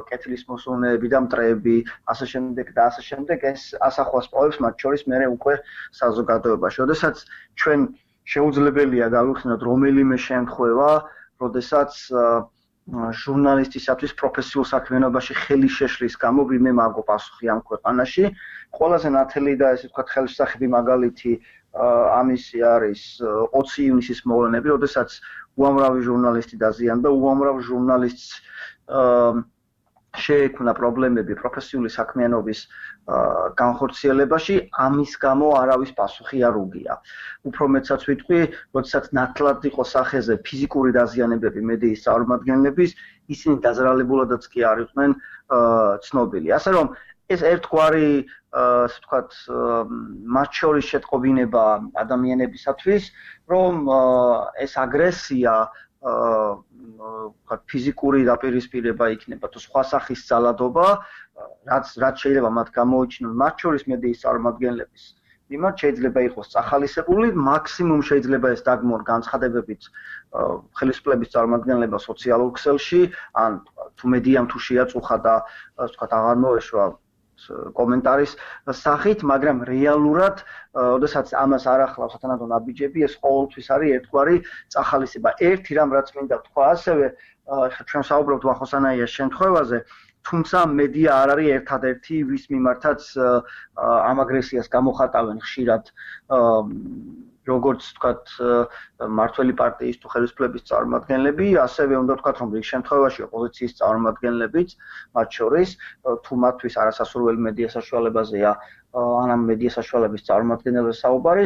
კეთილის მოსურნეები და მტრეები, ასე შემდეგ, ეს ასახვას პოვებს მათ შორის მერე უკვე საზოგადოებაში. როდესაც ჩვენ შეუძლებელია გავიხსენოთ რომელიმე შემთხვევა, როდესაც ჟურნალისტისათვის პროფესიულ საქმიანობაში ხელი შეშლის გამო ვინმე მაგო პასუხი ამ ქვეყანაში. ყველაზე ნათელი და ესე ვთქვათ ხელშესახები მაგალითი ამისი არის 20 ივნისის მოვლენები, როდესაც უამრავი ჟურნალისტი დაზიანდა, უამრავ ჟურნალისტს შეექმნა პრობლემები პროფესიული საქმიანობის განხორციელებაში, ამის გამო არავის პასუხი არ უგია. უფრო მეტსაც ვიტყვი, როდესაც ნათლად იყო სახეზე ფიზიკური დაზიანებები მედიის წარმომადგენლების, ისინი დაძრალებულადაც კი არ იყვნენ ცნობილი. ასე რომ ეს ერთგვარი, ასე ვთქვათ, მათ შორის შეტყობინება ადამიანებისათვის, რომ ეს აგრესია ფიზიკური დაპირისპირება იქნება თუ სხვა სახის ძალადობა, რაც შეიძლება მათ გამოიჩინონ მათ შორის მედიის წარმომადგენლების მიმართ, შეიძლება იყოს წახალისებული, მაქსიმუმ შეიძლება ეს დაგმონ განცხადებებით ხელისუფლების წარმომადგენლება სოციალურ ქსელში, ან თუ მედიამ თუ შეაწუხა და ასე ვთქვათ აღარ მოეშვა კომენტარის სახით, მაგრამ რეალურად, როდესაც ამას არ ახლავს სათანადო ნაბიჯები, ეს ყოველთვის არის ერთგვარი წახალისება. ერთი რამ რაც მინდა თქვა ასევე, ხა ჩვენ საუბრობთ ვახოსანაიას შემთხვევაზე, თუმცა მედია არ არის ერთადერთი, ვის მიმართაც ამ აგრესიას გამოხატავენ ხშირად როგორც ვთქვათ მართველი პარტიის თუ ხელისუფლების წარმომადგენლები, ასევე უნდა ვთქვათ, რომ რიგ შემთხვევაში ოპოზიციის წარმომადგენლებიც, მათ შორის, თუ მათთვის არასასურველი მედია საშუალებაზეა, ან ამ მედია საშუალების წარმომადგენელზე საუბარი,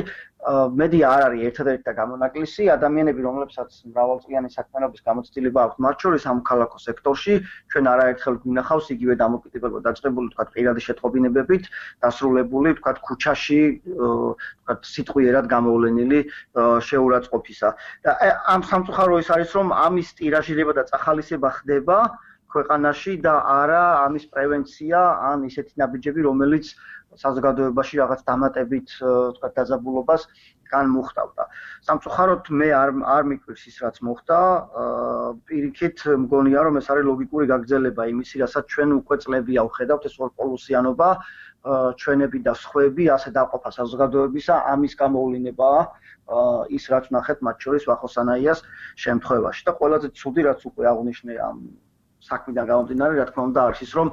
მედია არ არის ერთადერთი და გამონაკლისი, ადამიანები, რომლებსაც მრავალწლიანი საქმიანობის გამოცდილება აქვს, მათ შორის ამ ქალაქო სექტორში, ჩვენ არაერთხელ გვინახავს იგივე დამოკიდებულება დაწყებული, ვთქვათ, პირადი შეტყობინებებით, დასრულებული, ვთქვათ, ქუჩაში, ვთქვათ, სიტყვიერად გამოვლენილი შეურაცხყოფისა. და ამ სამწუხარო ის არის, რომ ამის ტირაჟირება და წახალისება ხდება ქვეყანაში და არა ამის პრევენცია, ან ისეთი ნაბიჯები, რომელიც საზოგადოებაში რაღაც დამატებით, ვთქვათ, დაძაბულობას განმუხტავდა. სამწუხაროდ მე არ მიკვირს ის, რაც მოხდა, პირიქით მგონია, რომ ეს არის ლოგიკური გაგრძელება იმისი, რასაც ჩვენ უკვე წლებია ვხედავთ, ეს ორპოლუსიანობა, ჩვენები და სხვები, ასე დაყოფა საზოგადოებისა, ამის გამოვლინებაა ის, რაც ნახეთ მათ შორის ვახოსანაიას შემთხვევაში. და ყველაზე ცუდი, რაც უკვე აღნიშნე ამ საქმიდან გამომდინარე, რა თქმა უნდა, არის ის, რომ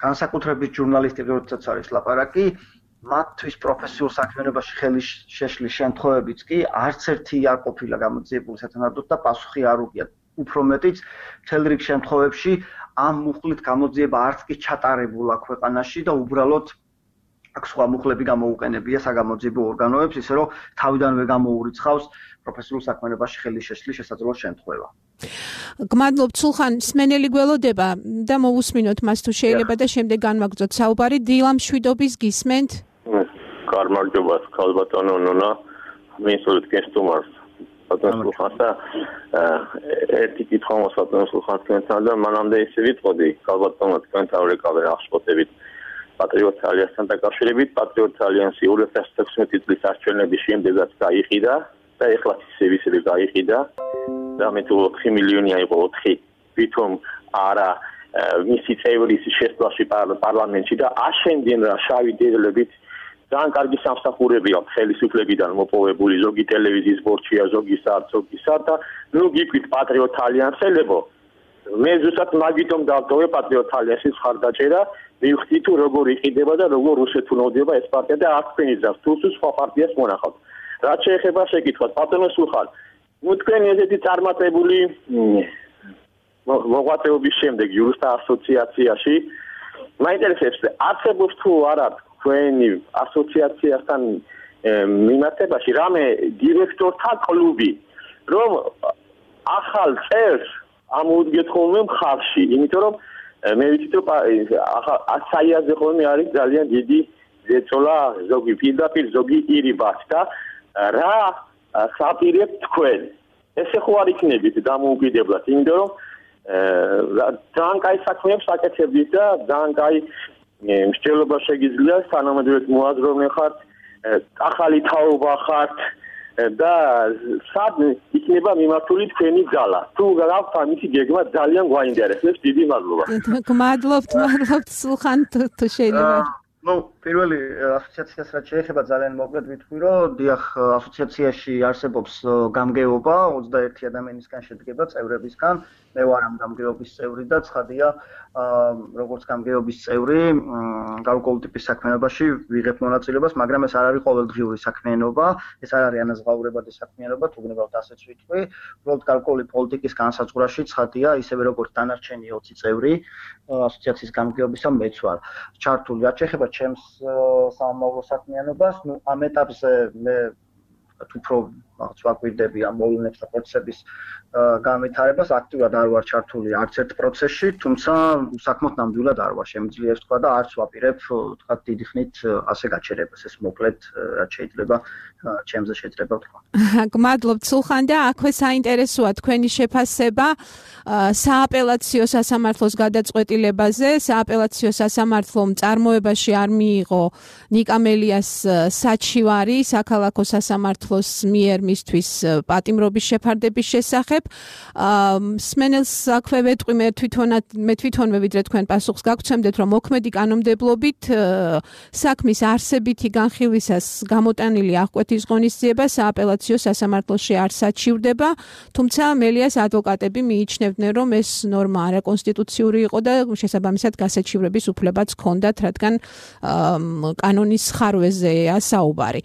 განსაკუთრებით ჟურნალისტები, როდესაც არის ლაპარაკი, მათთვის პროფესიულ საქმიანობაში ხელი შეშლის შემთხვევებიც კი არც ერთი არ ყოფილა გამოძიებული სათანადოდ და პასუხი არ უგია. უფრო მეტიც, მთელ რიგ შემთხვევებში ამ მუხლით გამოძიება არც კი ჩატარებულა ქვეყანაში და უბრალოდ აქ სხვა მუხლები გამოუყენებია საგამოძიებო ორგანოებს, ისე რომ თავიდანვე გამოურიცხავს პროფესიულ საქმიანობაში ხელი შეშლის შესაძლო შემთხვევა. გმადლობთ სულხან, სმენელი გველოდება და მოვუსმინოთ მას თუ შეიძლება და შემდეგ განვაგრძოთ საუბარი. დილა მშვიდობის გისმენთ? გამარჯობა, ქალბატონო ნონა, მისურვით გესტუმარს. ბატონო სულხანს და ერთი კითხვა მოსატანო სულხანთან და მანამდე ისე ვიტყოდი, ქალბატონო თქვენთან რეკავე აღშფოთებით პატრიოტ ალიანსთან დაკავშირებით, პატრიოტ ალიანსი 2016 წლის არჩევნების შემდეგაც გაიყიდა და ეხლა ისევ გაიყიდა და მე თუ 4 მილიონი აიყო 4 თვითონ არა მისი წევრის შესვლაში პარლამენტში და აშენდნენ რა შავი დედლებით ძალიან კარგი სამსახურები აქვს ხელისუფლებიდან მოპოვებული ზოგი ტელევიზიის ბორჩია ზოგი სარცოგისა და ნუ გიქვით პატრიოტ ალიანსელებო მე ზუსტად მაგიტომ დავტოვე პატრიოტ ალიანსის ხარდაჭერა მივხვდი თუ როგორ იყიდება და როგორ უშეთუნოვდება ეს პარტია და აქ ფენიძავს თუ სხვა პარტიას მონახავთ რაც შეეხება შეკითხვას პატონო სულხან ნუ თქვენი ესეთი წარმატებული მოღვაწეობის შემდეგ იურისტთა ასოციაციაში მაინტერესებს არსებობს თუ არა თქვენი ასოციაციასთან მიმართებაში რამე დირექტორთა კლუბი რომ ახალ წერს ამოუდგეთ ხოლმე მხარში, იმიტომ რომ მე ვიცით რომ საიაზე ხოლმე არის ძალიან დიდი ზეწოლა ზოგი პირდაპირ ზოგი ირიბათ და რა საპირებთ თქვენ ესე ხო არ იქნებით დამოუკიდებლად იმიტომ რომ ძალიან კაი საქმეებს აკეთებდით და ძალიან კაი მსჯელობა შეგიძლია თანამედროვე მოაზროვნე ხართ ახალი თაობა ხართ და სად იქნება მიმართული თქვენი ძალა თუ გაქვთ ამისი გეგმა ძალიან გვაინტერესებს დიდი მადლობა გმადლობთ სულხან თუ შეიძლება ну პირველი ასოციაციას რაც შეეხება ძალიან მოკლედ ვიტყვი რომ დიახ ასოციაციაში არსებობს გამგეობა 21 ადამიანისგან შედგება წევრებისგან მე ვარ ამ გამგეობის წევრი და ცხადია როგორც გამგეობის წევრი გარკვეულ ტიპის საქმიანობაში ვიღებ მონაწილეობას მაგრამ ეს არ არის ყოველდღიური საქმიანობა ეს არ არის ანაზღაურებადი საქმიანობა თუ გნებავთ ასეც ვიტყვი უბრალოდ გარკვეული პოლიტიკის განსაზღვრაში ცხადია ისევე როგორც დანარჩენი 20 წევრი ასოციაციის გამგეობისა მეც ვარ ჩართული რაც შეეხება ჩემს სამომავლო საქმიანობას ნუ ამ ეტაპზე მე უფრო ვაკვირდები ამ მოვლენებს და პროცესების განვითარებას აქტიურად არ ვარ ჩართული არც ერთ პროცესში თუმცა საქმოთ ნამდვილად არ ვარ შემიძლია ვთქვა და არც ვაპირებ თქვა დიდი ხნით ასე გაჩერებას ეს მოკლედ რაც შეიძლება ჩემზე შეიძლება ვთქვა გმადლობთ სულხან და აქვე საინტერესოა თქვენი შეფასება სააპელაციო სასამართლოს გადაწყვეტილებაზე სააპელაციო სასამართლომ წარმოებაში არ მიიღო ნიკამელიას საჩივარი საქალაქო სასამართლოს მიერ მისთვის პატიმრობის შეფარდების შესახებ სმენელს აქვე ვეტყვი მე თვითონვე ვიდრე თქვენ პასუხს გაგცემდეთ რომ მოქმედი კანონმდებლობით საქმის არსებითი განხილვისას გამოტანილი აღკვეთის ღონისძიება სააპელაციო სასამართლოში არ საჩივრდება თუმცა მელიას ადვოკატები მიიჩნევდნენ რომ ეს ნორმა არაკონსტიტუციური იყო და შესაბამისად გასაჩივრების უფლებაც ჰქონდათ რადგან კანონის ხარვეზეა საუბარი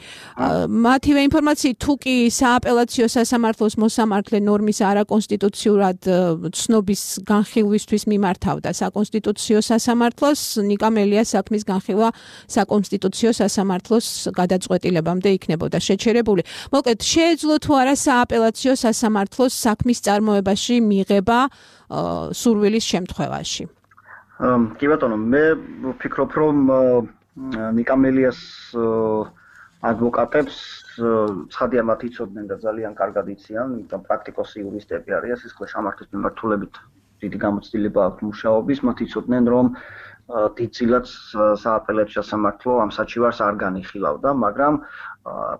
მათივე ინფორმაციით თუ კი სააპელაციო სასამართლოს მოსამართლე ნორმის არაკონსტიტუციურად ცნობის განხილვისთვის მიმართავდა საკონსტიტუციო სასამართლოს ნიკამელიას საქმის განხილვა საკონსტიტუციო სასამართლოს გადაწყვეტილებამდე იქნებოდა შეჩერებული. მოკლედ შეეძლო თუ არა სააპელაციო სასამართლოს საქმის წარმოებაში მიღება სურვილის შემთხვევაში. კი ბატონო, მე ვფიქრობ რომ ნიკამელიას ადვოკატებს ცხადია მათ იცოდნენ და ძალიან კარგად იციან, იმიტომ პრაქტიკოსი იურისტები არიან, სისხლის სამართლის მიმართულებით დიდი გამოცდილება აქვს მუშაობის, მათ იცოდნენ რომ დიდწილად სააპელაციო სასამართლო ამ საჩივარს არ განიხილავდა, მაგრამ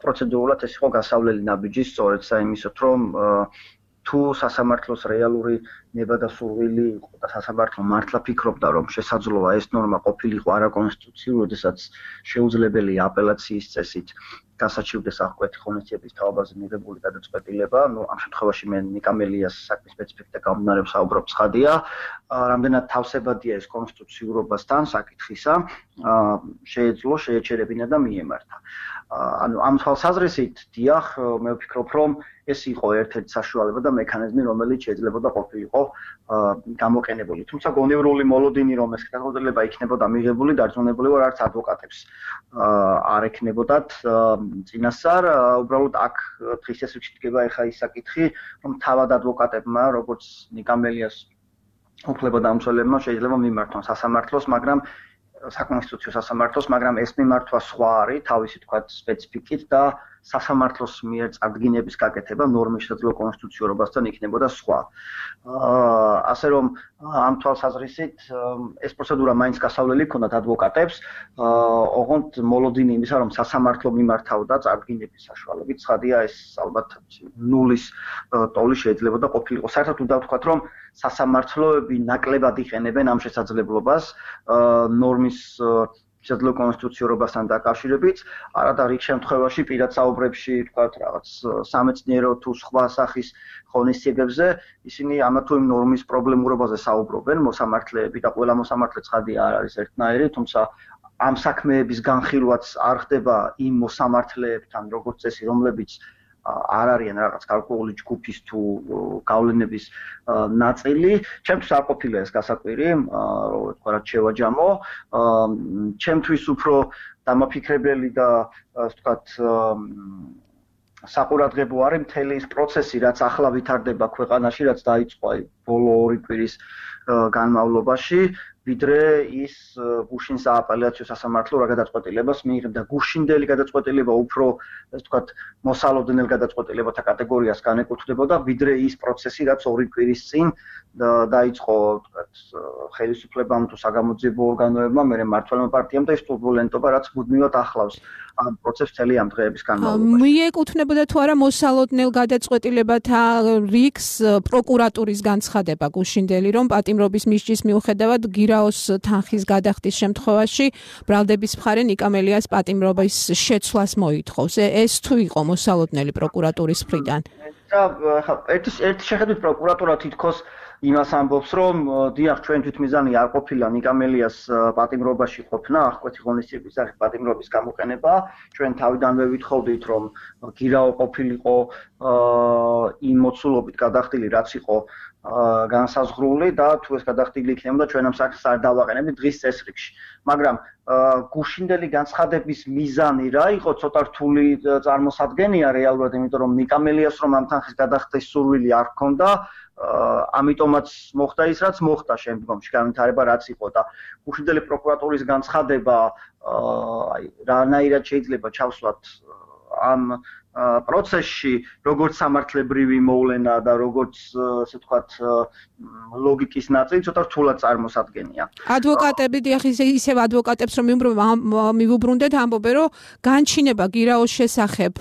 პროცედურულად ეს იყო გასავლელი ნაბიჯი სწორედ საიმისოთ რომ თუ სასამართლოს რეალური ნება და სურვილი იყო და სასამართლო მართლა ფიქრობდა რომ შესაძლოა ეს ნორმა ყოფილიყო არაკონსტიტუციური, როდესაც შეუძლებელია აპელაციის წესით გასაჩივრდეს აღკვეთი ღონისძიების თაობაზე მიღებული გადაწყვეტილება, ну ამ შემთხვევაში მე ნიკამელიას საქმის სპეციფიკა გამომდინარე ვსაუბრობ ცხადია, რამდენად თავსებადია ეს კონსტიტუციურობასთან საკითხისა, შეეძლო შეეჩერებინა და მიემართა. ანუ ამ თვალსაზრისით დიახ, მე ვფიქრობ რომ ეს იყო ერთ-ერთი საშუალება და მექანიზმი, რომელიც შეიძლება ყოფილიყო გამოყენებული. თუმცა გონევრული მოლოდინი რომ ეს გადაწყვეტილება იქნებოდა მიღებული, დარწმუნებული ვარ არც ადვოკატებს არ ექნებოდათ წინასწარ, უბრალოდ აქ დღის ეს რჩება ეხა ის საკითხი, რომ თავად ადვოკატებმა, როგორც ნიკამელიას უფლებადამცველებმა შეიძლება მიმართონ სასამართლოს, მაგრამ საკონსტიტუციო სასამართლოს, მაგრამ ეს მიმართვა სხვა არის, თავისი თქვა სპეციფიკით და სასამართლოს მიერ წარდგინების გაკეთება ნორმის შესაძლო კონსტიტუციურობასთან იქნებოდა სხვა. ასე რომ ამ თვალსაზრისით ეს პროცედურა მაინც გასავლელი ჰქონდათ ადვოკატებს, ოღონდ მოლოდინი იმისა, რომ სასამართლო მიმართავდა წარდგინების საშუალებით, ცხადია ეს ალბათ ნულის ტოლი შეიძლება და ყოფილიყო. საერთოდ უნდა ვთქვათ, რომ სასამართლოები ნაკლებად იყენებენ ამ შესაძლებლობას ნორმის შესაძლო კონსტიტუციურობასთან დაკავშირებით, არადა რიგ შემთხვევაში პირად საუბრებში, თქვათ, რაღაც სამეცნიერო თუ სხვა სახის ღონისძიებებზე, ისინი ამა თუ იმ ნორმის პრობლემურობაზე საუბრობენ, მოსამართლეები და ყველა მოსამართლე ცხადია არ არის ერთნაირი, თუმცა ამ საქმეების განხილვაც არ ხდება იმ მოსამართლეებთან, როგორც წესი, რომლებიც არ არიან რაღაც გარკვეული ჯგუფის თუ გავლენების ნაწილი. ჩემთვის არ ყოფილა ეს გასაკვირი, რომ თქვა რაც შევაჯამო. ჩემთვის უფრო დამაფიქრებელი და ასე ვთქვათ საყურადღებო არის მთელი ის პროცესი, რაც ახლა ვითარდება ქვეყანაში, რაც დაიწყო ბოლო 2 კვირის განმავლობაში, ვიდრე ის გუშინ სააპელაციო სასამართლო რა გადაწყვეტილებას მიიღებდა. გუშინდელი გადაწყვეტილება უფრო, ასე ვთქვათ, მოსალოდნელ გადაწყვეტილებათა კატეგორიას განეკუთვნებოდა, ვიდრე ის პროცესი, რაც 2 კვირის წინ დაიწყო, ვთქვათ, ხელისუფლებამ თუ საგამოძიებო ორგანოებმა, მერე მმართველმა პარტიამ და ის ტურბულენტობა, რაც მუდმივად ახლავს ამ პროცესს მთელი ამ დღეების განმავლობაში. მიეკუთვნებოდა თუ არა მოსალოდნელ გადაწყვეტილებათა რიგს პროკურატურის განცხადება გუშინდელი, რომ პატიმრობის მისჯის მიუხედავად გირაოს თანხის გადახდის შემთხვევაში ბრალდების მხარე ნიკამელიას პატიმრობის შეცვლას მოითხოვს. ეს თუ იყო მოსალოდნელი პროკურატურის მხრიდან? ერთი შეხედვით პროკურატურა თითქოს იმას ამბობს, რომ დიახ, ჩვენ თვითმიზანი არ ყოფილა ნიკამელიას პატიმრობაში ყოფნა, აღკვეთი ღონისძიების სახით პატიმრობის გამოყენება. ჩვენ თავიდანვე ვითხოვდით, რომ გირაო ყოფილიყო იმ მოცულობით გადახდილი, რაც იყო განსაზღვრული და თუ ეს გადახდილი იქნებოდა, ჩვენ ამ საქმეს არ დავაყენებდით დღის წესრიგში. მაგრამ გუშინდელი განცხადების მიზანი რა იყო? ცოტა რთული წარმოსადგენია რეალურად, იმიტომ რომ ნიკამელიას რომ ამ თანხის გადახდის სურვილი არ ჰქონდა, ამიტომაც მოხდა ის, რაც მოხდა შემდგომში, განვითარება რაც იყო და გუშინდელი პროკურატურის განცხადება რანაირად შეიძლება ჩავსვათ ამ პროცესში, როგორც სამართლებრივი მოვლენა და როგორც, ასე ვთქვათ, ლოგიკის ნაწილი ცოტა რთულად წარმოსადგენია. ადვოკატები, დიახ, ისევ ადვოკატებს რომ მივუბრუნდეთ, ამბობენ, რომ განჩინება გირაოს შესახებ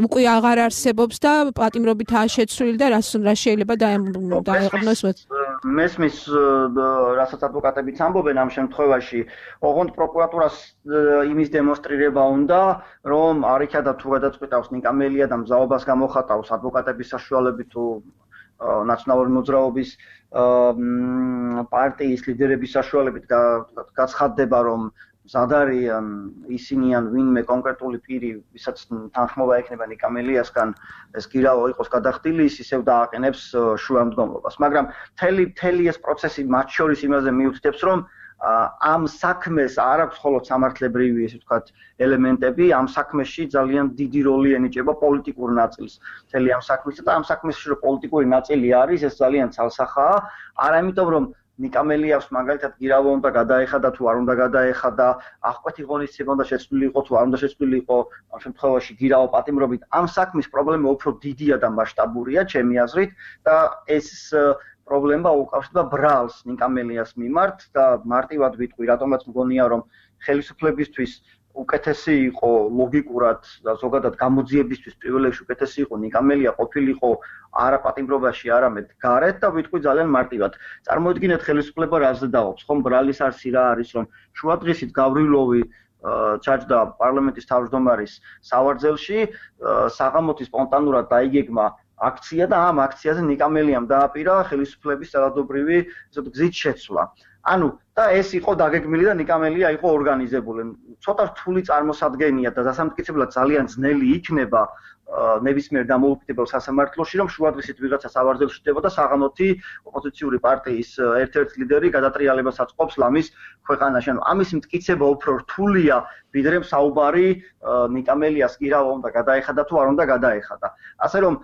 უკვე აღარ არსებობს და პატიმრობითაა შეცვლილი და რა შეიძლება დაეყრდნოს. მესმის, რასაც ადვოკატებიც ამბობენ ამ შემთხვევაში, ოღონდ პროკურატურას იმის დემონსტრირება უნდა, რომ არ იქადა თუ გადაწყვეტავს ნიკამელია და მზაობას გამოხატავს ადვოკატების საშუალებით თუ ნაციონალური მოძრაობის პარტიის ლიდერების საშუალებით გაცხადდება, რომ მზად არიან ისინი ან ვინმე კონკრეტული პირი, ვისაც თანხმობა ექნება ნიკამელიასგან, ეს გირაო იყოს გადახდილი, ის ისევ დააყენებს შუამდგომლობას. მაგრამ მთელი ეს პროცესი მათ შორის იმაზე მიუთითებს, რომ ამ საქმეს არ აქვს მხოლოდ სამართლებრივი, ესე ვთქვათ, ელემენტები, ამ საქმეში ძალიან დიდი როლი ენიჭება პოლიტიკურ ნაწილს. მთელი ამ საქმისა და ამ საქმეში რომ პოლიტიკური ნაწილი არის, ეს ძალიან ცალსახაა, არა იმიტომ რომ ნიკამელიას მაგალითად გირავო უნდა გადაეხადა თუ არ უნდა გადაეხადა, აღკვეთი ღონისძიება უნდა შეცვლილი იყო თუ არ უნდა შეცვლილი იყო, ამ შემთხვევაში გირავო პატიმრობით. ამ საქმის პრობლემა უფრო დიდია და მასშტაბურია, ჩემი აზრით, და ეს პრობლემა უკავშირდება ბრალს ნიკამელიას მიმართ და მარტივად ვიტყვი, რატომაც მგონია, რომ ხელისუფლებისთვის უკეთესი იყო ლოგიკურად და ზოგადად გამოძიებისთვის პირველ რიგში უკეთესი იყო ნიკამელია ყოფილიყო არა პატიმრობაში, არამედ გარეთ და ვიტყვი ძალიან მარტივად. წარმოიდგინეთ ხელისუფლება რაზე დაობს, ხომ ბრალის არსი რა არის, რომ შუადღისით გავრილოვი ჩაჯდა პარლამენტის თავმჯდომარის სავარძელში, საღამოთი სპონტანურად დაიგეგმა აქცია და ამ აქციაზე ნიკამელიამ დააპირა ხელისუფლების ძალადობრივი გზით შეცვლა. ანუ და ეს იყო დაგეგმილი და ნიკამელია იყო ორგანიზებული. ცოტა რთული წარმოსადგენია და დასამტკიცებლად ძალიან ძნელი იქნება ნებისმიერ დამოუკიდებელ სასამართლოში, რომ შუადღისით ვიღაცა სავარძელში ხდება და საღამოთი ოპოზიციური პარტიის ერთ-ერთი ლიდერი გადატრიალებას აწყობს ლამის ქვეყანაში. ანუ ამის მტკიცება უფრო რთულია, ვიდრე საუბარი ნიკამელიას გირავა უნდა გადაეხადა თუ არ უნდა გადაეხადა. ასე რომ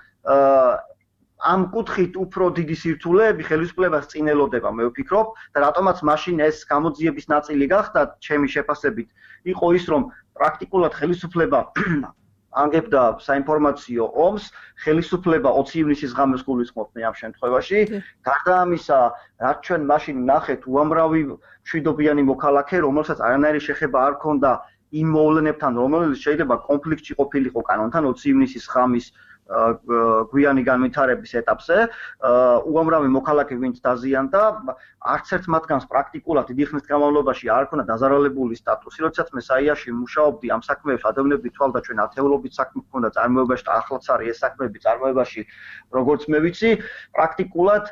ამ კუთხით უფრო დიდი სირთულეები ხელისუფლებას წინ ელოდება, მე ვფიქრობ, და რატომაც მაშინ ეს გამოძიების ნაწილი გახდა, ჩემი შეფასებით, იყო ის, რომ პრაქტიკულად ხელისუფლება ანგებდა საინფორმაციო ომს, ხელისუფლება 20 ივნისის ღამეს გულისხმობდნენ ამ შემთხვევაში. გარდა ამისა, რაც ჩვენ მაშინ ნახეთ, უამრავი მშვიდობიანი მოქალაქე, რომელსაც არანაირი შეხება არ ჰქონდა იმ მოვლენებთან, რომელიც შეიძლება კონფლიქტში ყოფილიყო კანონთან 20 ივნისის ღამის გვიანი განვითარების ეტაპზე, უამრავი მოქალაქე ვინც დაზიანდა, არც ერთ მათგანს პრაქტიკულად დიდი ხნის განმავლობაში არ ჰქონდა დაზარალებული სტატუსი. როდესაც მე საიაში მუშაობდი ამ საქმეებს, ადამიანები თვალდა ჩვენ ათეულობით საქმე ჰქონდა წარმოებაში და ახლაც არის ეს საქმეები წარმოებაში, როგორც მე ვიცი, პრაქტიკულად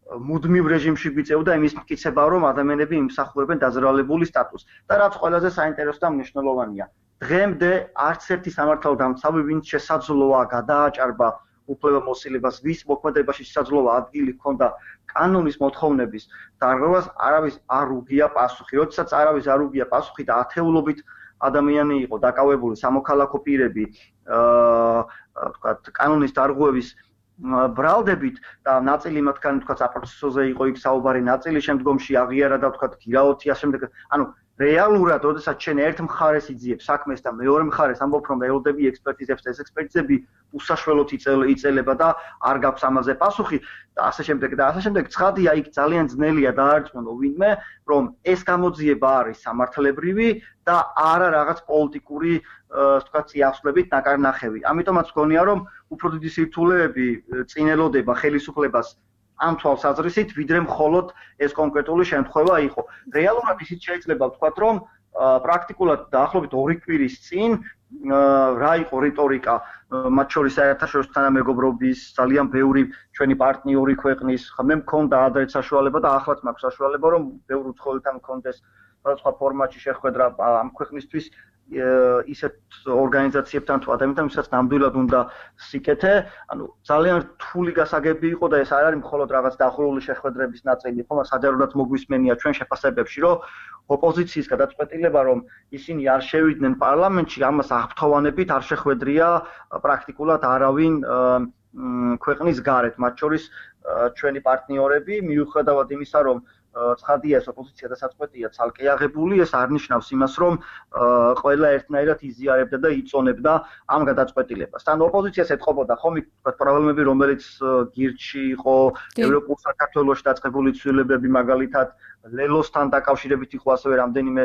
მუდმივ რეჟიმში გვიწევდა იმის მტკიცება, რომ ადამიანები იმსახურებენ დაზარალებული სტატუსს. და რაც ყველაზე საინტერესო და მნიშვნელოვანია, დღემდე არც ერთი სამართალდამცავი, ვინც შესაძლოა გადააჭარბა უფლებამოსილებას, ვის მოქმედებაში შესაძლოა ადგილი ჰქონდა კანონის მოთხოვნების დარღვევას, არავის არ უგია პასუხი. როდესაც არავის არ უგია პასუხი და ათეულობით ადამიანი იყო დაკავებული სამოქალაქო პირები, ვთქვათ, კანონის დარღვევის ბრალდებით და ნაწილი მათგანი ვთქვათ საპროცესოზე იყო იქ საუბარი, ნაწილი შემდგომში აღიარა და ვთქვათ გირაოთი ასე შემდეგ. ანუ რეალურად, როდესაც შენ ერთ მხარეს იძიებ საქმეს და მეორე მხარეს ამბობ, რომ ველოდები ექსპერტიზებს და ეს ექსპერტიზები უსაშველოდ იწელება და არ გაქვს ამაზე პასუხი და ასე შემდეგ. ცხადია, იქ ძალიან ძნელია დაარწმუნო ვინმე, რომ ეს გამოძიება არის სამართლებრივი და არა რაღაც პოლიტიკური, ვთქვათ, წიაღსვლებით ნაკარნახევი. ამიტომაც მგონია, რომ უფრო დიდი სირთულეები წინელოდება ხელისუფლებას ამ თვალსაზრისით, ვიდრე მხოლოდ ეს კონკრეტული შემთხვევა იყო. რეალურად ისიც შეიძლება ვთქვათ, რომ პრაქტიკულად დაახლოებით 2 კვირის წინ რა იყო რიტორიკა, მათ შორის საერთაშორისო თანამეგობრობის ძალიან ბევრი ჩვენი პარტნიორი ქვეყნის, მე მქონდა ადრეც საშუალება და ახლაც მაქვს საშუალება, რომ ბევრ უცხოელთან მქონდეს სხვადასხვა ფორმატში შეხვედრა ამ ქვეყნისთვის ისეთ ორგანიზაციებთან თუ ადამიანთან, ვისაც ნამდვილად უნდა სიკეთე, ანუ ძალიან რთული გასაგები იყო და ეს არ არის მხოლოდ რაღაც დაახლოებული შეხვედრების ნაწილი, ხომ საჯაროდაც მოგვისმენია ჩვენ შეფასებებში, რომ ოპოზიციის გადაწყვეტილება, რომ ისინი არ შევიდნენ პარლამენტში, ამას აღფრთოვანებით არ შეხვედრია პრაქტიკულად არავინ ქვეყნის გარეთ, მათ შორის ჩვენი პარტნიორები, მიუხედავად იმისა, რომ ცხადია ეს ოპოზიცია და საწყვეტია ცალკე აღებული, ეს არ ნიშნავს იმას, რომ ყველა ერთნაირად იზიარებდა და იწონებდა ამ გადაწყვეტილებას. თან ოპოზიციას ეთყობოდა ხომ ვთქვათ პრობლემები, რომელიც გირჩი იყო, ევროპულ საქართველოში დაწყებული ცვლილებები, მაგალითად ლელოსთან დაკავშირებით იყო ასევე რამდენიმე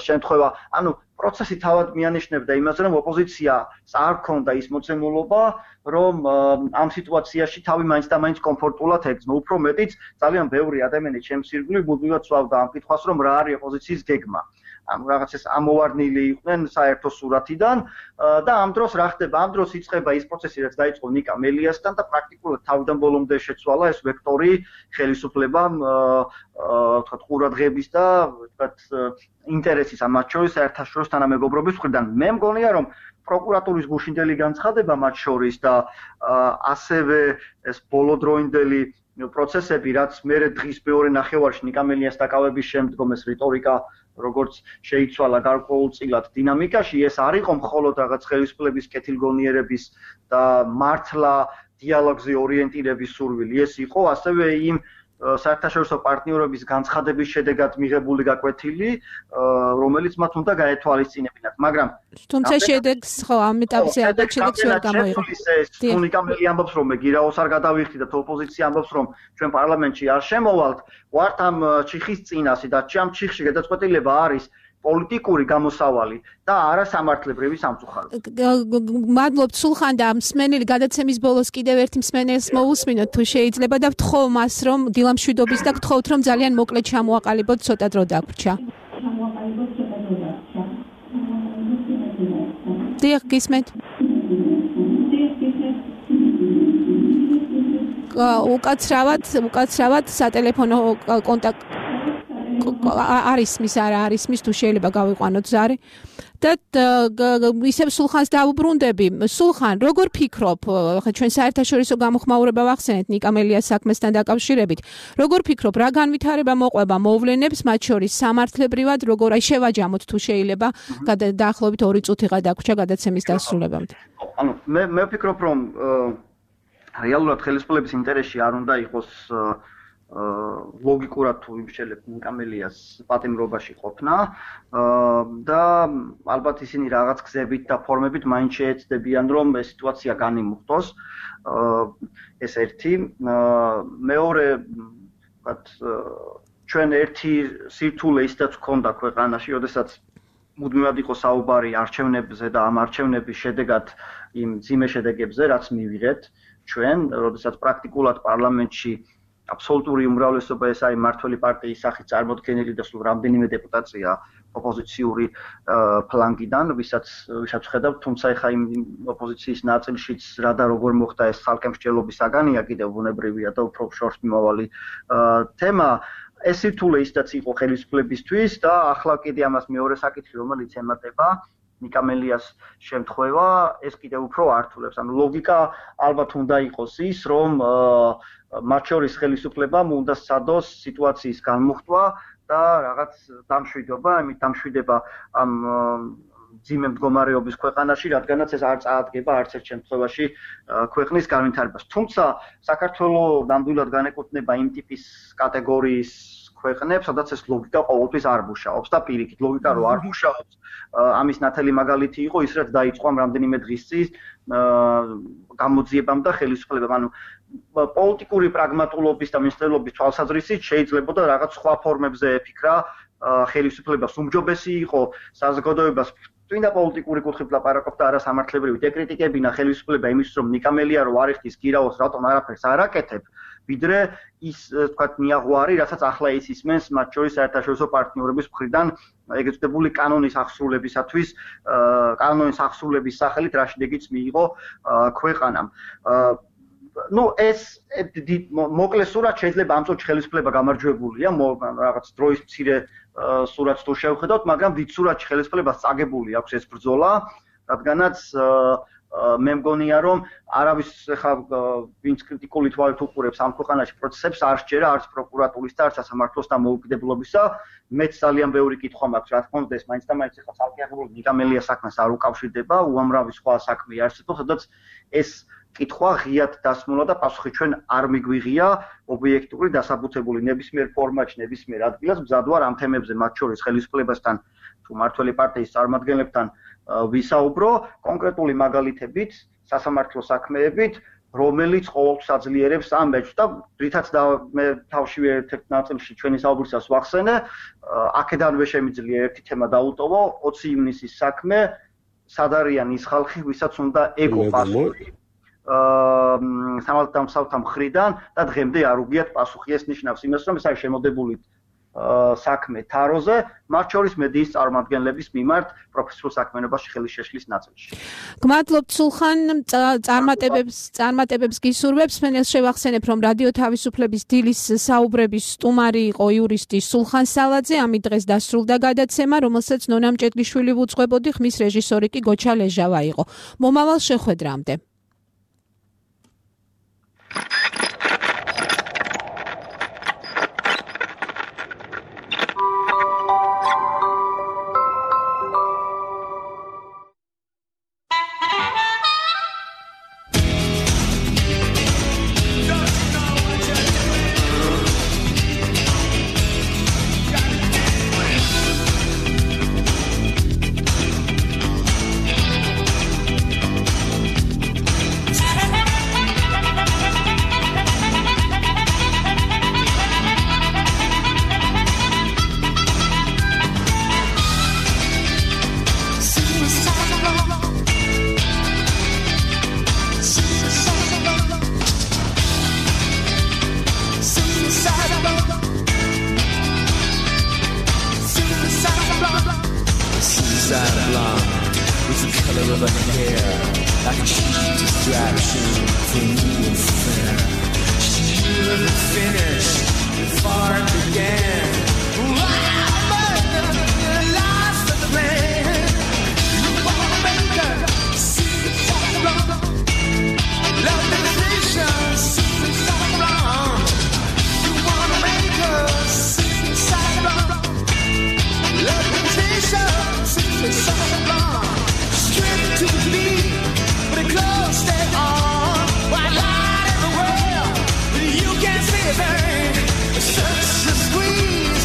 შემთხვევა. ანუ პროცესი თავად მიანიშნებდა იმაზე, რომ ოპოზიციას არ ჰქონდა ის მოცემულობა, რომ ამ სიტუაციაში თავი მაინც და მაინც კომფორტულად ეგზნო. უფრო მეტიც, ძალიან ბევრი ადამიანი ჩემს ირგვლივ მუდმივად სვავდა ამ კითხვას, რომ რა არის ოპოზიციის გეგმა. ანუ რაღაც ეს ამოვარდნილი იყვნენ საერთო სურათიდან და ამ დროს რა ხდება? ამ დროს იწყება ის პროცესი, რაც დაიწყო ნიკა მელიასთან და პრაქტიკულად თავიდან ბოლომდე შეცვალა ეს ვექტორი ხელისუფლებამ, ვთქვათ, ყურადღების და ვთქვათ, ინტერესის ამათ შორის საერთაშორისო თანამეგობრობის მხრიდან. მე მგონია, რომ პროკურატურის გუშინდელი განცხადება მათ შორის და ასევე ეს ბოლოდროინდელი პროცესები, რაც მერე დღის მეორე ნახევარში ნიკა მელიას დაკავების შემდგომ ეს რიტორიკა როგორც შეიცვალა გარკვეულწილად დინამიკაში, ეს არ იყო მხოლოდ რაღაც ხელისუფლების კეთილგონიერების და მართლა დიალოგზე ორიენტირების სურვილი, ეს იყო ასევე იმ საერთაშორისო პარტნიორების განცხადების შედეგად მიღებული გაკვეთილი, რომელიც მათ უნდა გაეთვალისწინებინათ, მაგრამ თუმცა შედეგს ხო ამ ეტაპზე ალბათ შედეგს ვერ გამოიღო. ნიკა მელი ამბობს, რომ მე გირაოს არ გადავიხდი და ოპოზიცია ამბობს, რომ ჩვენ პარლამენტში არ შემოვალთ, ვართ ამ ჩიხის წინასე და ამ ჩიხში გადაწყვეტილება არის პოლიტიკური გამოსავალი და არა სამართლებრივი სამწუხაროდ. მადლობთ სულხან და მსმენელი გადაცემის ბოლოს კიდევ ერთი მსმენელს მოусმინოთ თუ შეიძლება და ვთხოვ მას რომ დილამშვიდობის და გთხოვთ რომ ძალიან მოკლედ ჩამოაყალიბოთ ცოტა დრო დაგვრჩა. დიახ, გისმენთ. უკაცრავად სატელეფონო კონტაქტ არის მის არა არის მის თუ შეიძლება გავიყვანოთ ზარი და ისევ სულხანს დავუბრუნდები. სულხან, როგორ ფიქრობ, ხა ჩვენ საერთაშორისო გამოხმაურება ვახსენეთ ნიკა მელიას საქმესთან დაკავშირებით. როგორ ფიქრობ, რა განვითარება მოყვება მოვლენებს, მათ შორის სამართლებრივად, როგორ აი შევაჯამოთ თუ შეიძლება, დაახლოებით 2 წუთიღა დაგვრჩა გადაცემის დასრულებამდე. ანუ მე ვფიქრობ, რომ რეალურად ხელისუფლების ინტერესში არ უნდა იყოს ლოგიკურად თუ იმშელებთ ნიკა მელიას პატიმრობაში ყოფნა და ალბათ ისინი რაღაც გზებით და ფორმებით მაინც შეეცდებიან რომ ეს სიტუაცია განიმუხტოს. ეს ერთი. მეორე, ვთქვათ, ჩვენ ერთი სირთულე ისედაც ჰქონდა ქვეყანაში, როდესაც მუდმივად იყო საუბარი არჩევნებზე და ამ არჩევნების შედეგად იმ ძიმე შედეგებზე, რაც მივიღეთ ჩვენ, როდესაც პრაქტიკულად პარლამენტში აბსოლუტური უმრავლესობა ეს არის მართველი პარტიის სახით წარმოდგენილი და სულ რამდენიმე დეპუტატია ოპოზიციური ფლანგიდან, ვისაც ხედავთ, თუმცა ეხა იმ ოპოზიციის ნაწილშიც რა და როგორ მოხდა ეს ცალკე მსჯელობის საგანია კიდევ ბუნებრივია და უფრო შორს მიმავალი თემა. ეს სირთულე ისედაც იყო ხელისუფლებისთვის და ახლა კიდე ამას მეორე საკითხი, რომელიც ემატება ნიკამელიას შემთხვევა ეს კიდევ უფრო ართულებს. ანუ ლოგიკა ალბათ უნდა იყოს ის, რომ მათ შორის ხელისუფლებამ უნდა სცადოს სიტუაციის განმუხტვა და რაღაც დამშვიდობა, ამით დამშვიდება ამ ძიმე მდგომარეობის ქვეყანაში, რადგანაც ეს არ წაადგება არც ერთ შემთხვევაში ქვეყნის განვითარებას. თუმცა საქართველოს ნამდვილად განეკუთვნება იმ ტიპის კატეგორიის ქვეყნებს, სადაც ეს ლოგიკა ყოველთვის არ მუშაობს და პირიქით ლოგიკა რო არ მუშაობს, ამის ნათელი მაგალითი იყო ის, რაც დაიწყო ამ რამდენიმე დღის წინ გამოძიებამ და ხელისუფლებამ. ანუ პოლიტიკური პრაგმატულობის და მინისტრელობის თვალსაზრისით შეიძლებოდა რაღაც სხვა ფორმებზე ეფიქრა ხელისუფლებას უმჯობესი იყო საზოგადოებას წმინდა პოლიტიკური კუთხით ლაპარაკობ და არა სამართლებრივი დეკრიტიკებინა ხელისუფლება იმისთვის რომ ნიკამელია რო არ იხდის გირაოს რატომ არაფერს არ აკეთებ ვიდრე ის თქვათ ნიაღვარი რასაც ახლა ის ისმენს მათ შორის საერთაშორისო პარტნიორების მხრიდან ეგრეთ წოდებული კანონის აღსრულებისათვის კანონის აღსრულების სახელით რა შედეგიც მიიღო ქვეყანამ ну ეს მოკლე სურათ შეიძლება ამ წუთში ხელისუფლება გამარჯვებულია რაღაც დროის მცირე სურათს თუ შევხედავთ მაგრამ დიდ სურათში ხელისუფლებას წაგებული აქვს ეს ბრძოლა რადგანაც მე მგონია რომ არავის ხა ვინც კრიტიკული თვალით უყურებს ამ ქვეყანაში პროცესებს არ შეერა არც პროკურატურის და არც სასამართლოს და მოუკიდებლობისა მეც ძალიან ბევრი კითხვა მაქვს რა თქმა უნდა ეს მაინც და მაინც ხა ცალკეაღებული ნიკამელია საქმეს არ უკავშირდება უამრავი სხვა საქმე არსებობს სადაც ეს კითხვა ღიად დასმულა და პასუხი ჩვენ არ მიგვიღია ობიექტური დასაბუთებული ნებისმიერ ფორმატში ნებისმიერ ადგილას მზად ვარ ამ თემებზე მათ შორის ხელისუფლებასთან თუ მართველი პარტიის წარმომადგენლებთან ვისაუბრო კონკრეტული მაგალითებით სასამართლო საქმეებით რომელიც ყოველთვის აძლიერებს ამ მეჯს და რითაც მე თავშივე ერთ-ერთ ნაწილში ჩვენი საუბრისას ვახსენე აქედანვე შემიძლია ერთი თემა დაუტოვო 20 ივნისის საქმე სად არიან ის ხალხი ვისაც უნდა ეკო პასუხი სამართალდამცავთა მხრიდან და დღემდე არ უგიათ პასუხი ეს ნიშნავს იმას რომ ეს არის შემოდებული საქმე თაროზე მათ შორის მედიის წარმომადგენლების მიმართ პროფესიულ საქმიანობაში ხელის შეშლის ნაწილში. გმადლობთ სულხან წარმატებებს გისურვებს მე შევახსენებ რომ რადიო თავისუფლების დილის საუბრების სტუმარი იყო იურისტი სულხან სალაძე ამით დღეს დასრულდა გადაცემა რომელსაც ნონა მჭედლიშვილი ვუძღვებოდი ხმის რეჟისორი კი გოჩა ლეჟავა იყო. მომავალ შეხვედრამდე Such a squeeze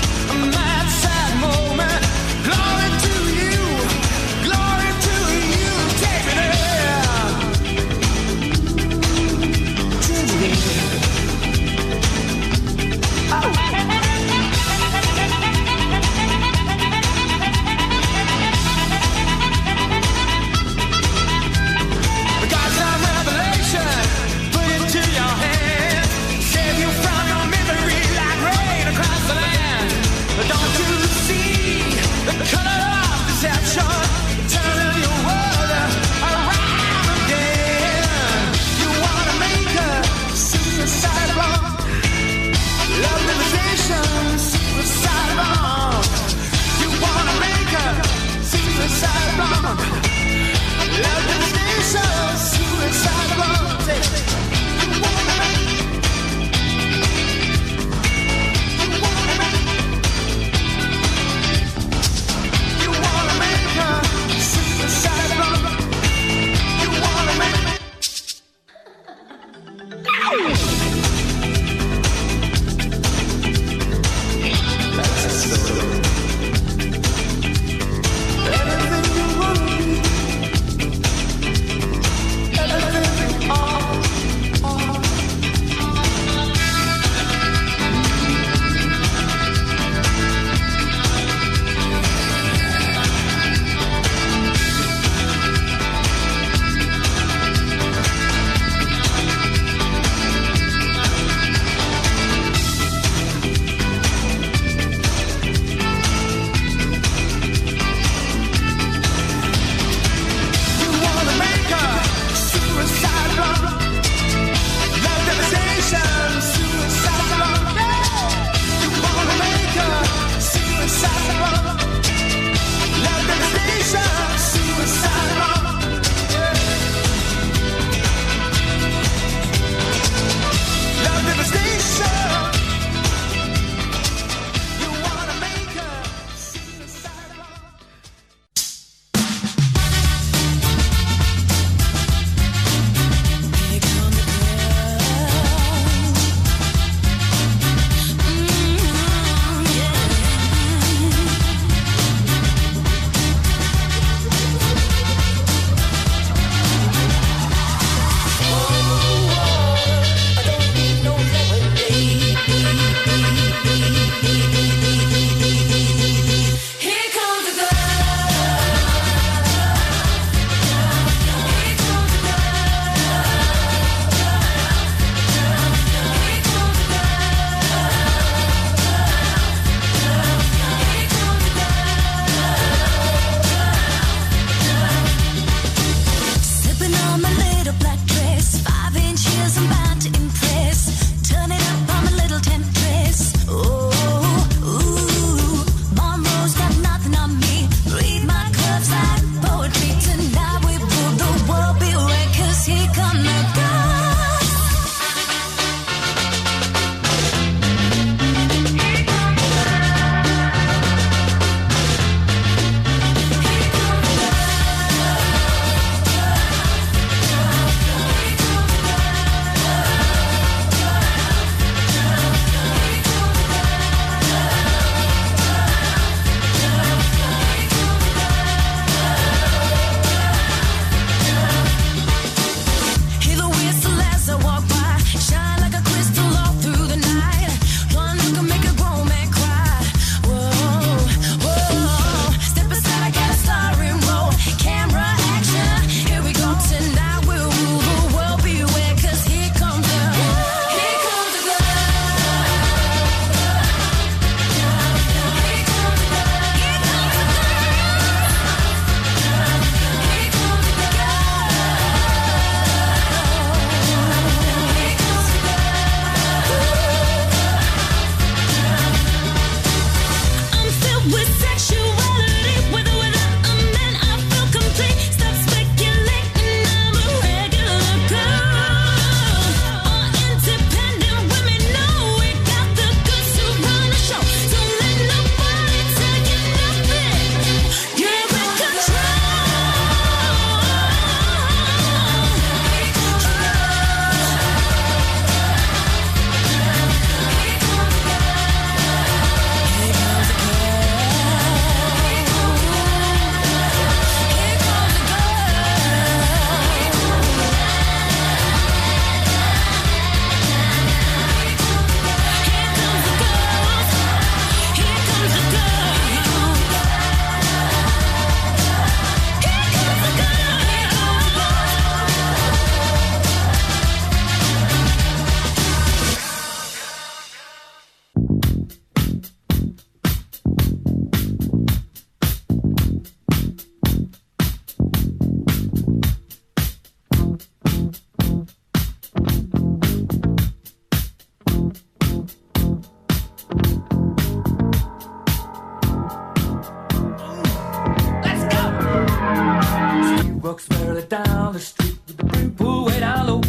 walks merrily down the street with the brim pulled way down low.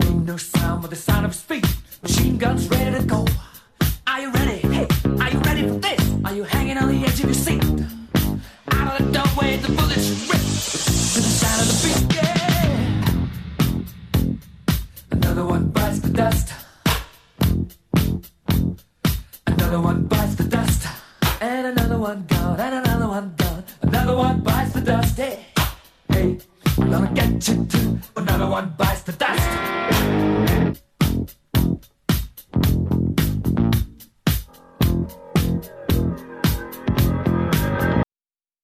Ain't no sound but the sound of his feet. Machine guns ready to go. Are you ready? Hey, are you ready for this? Are you hanging on the edge of your seat? Out of the doorway, the bullets rip to the sound of the beat. Yeah. Another one bites the dust. Another one bites the dust. And another one gone, and another one gone. Another one bites the dust. Hey, hey, I'm gonna get you too. Another one bites the dust.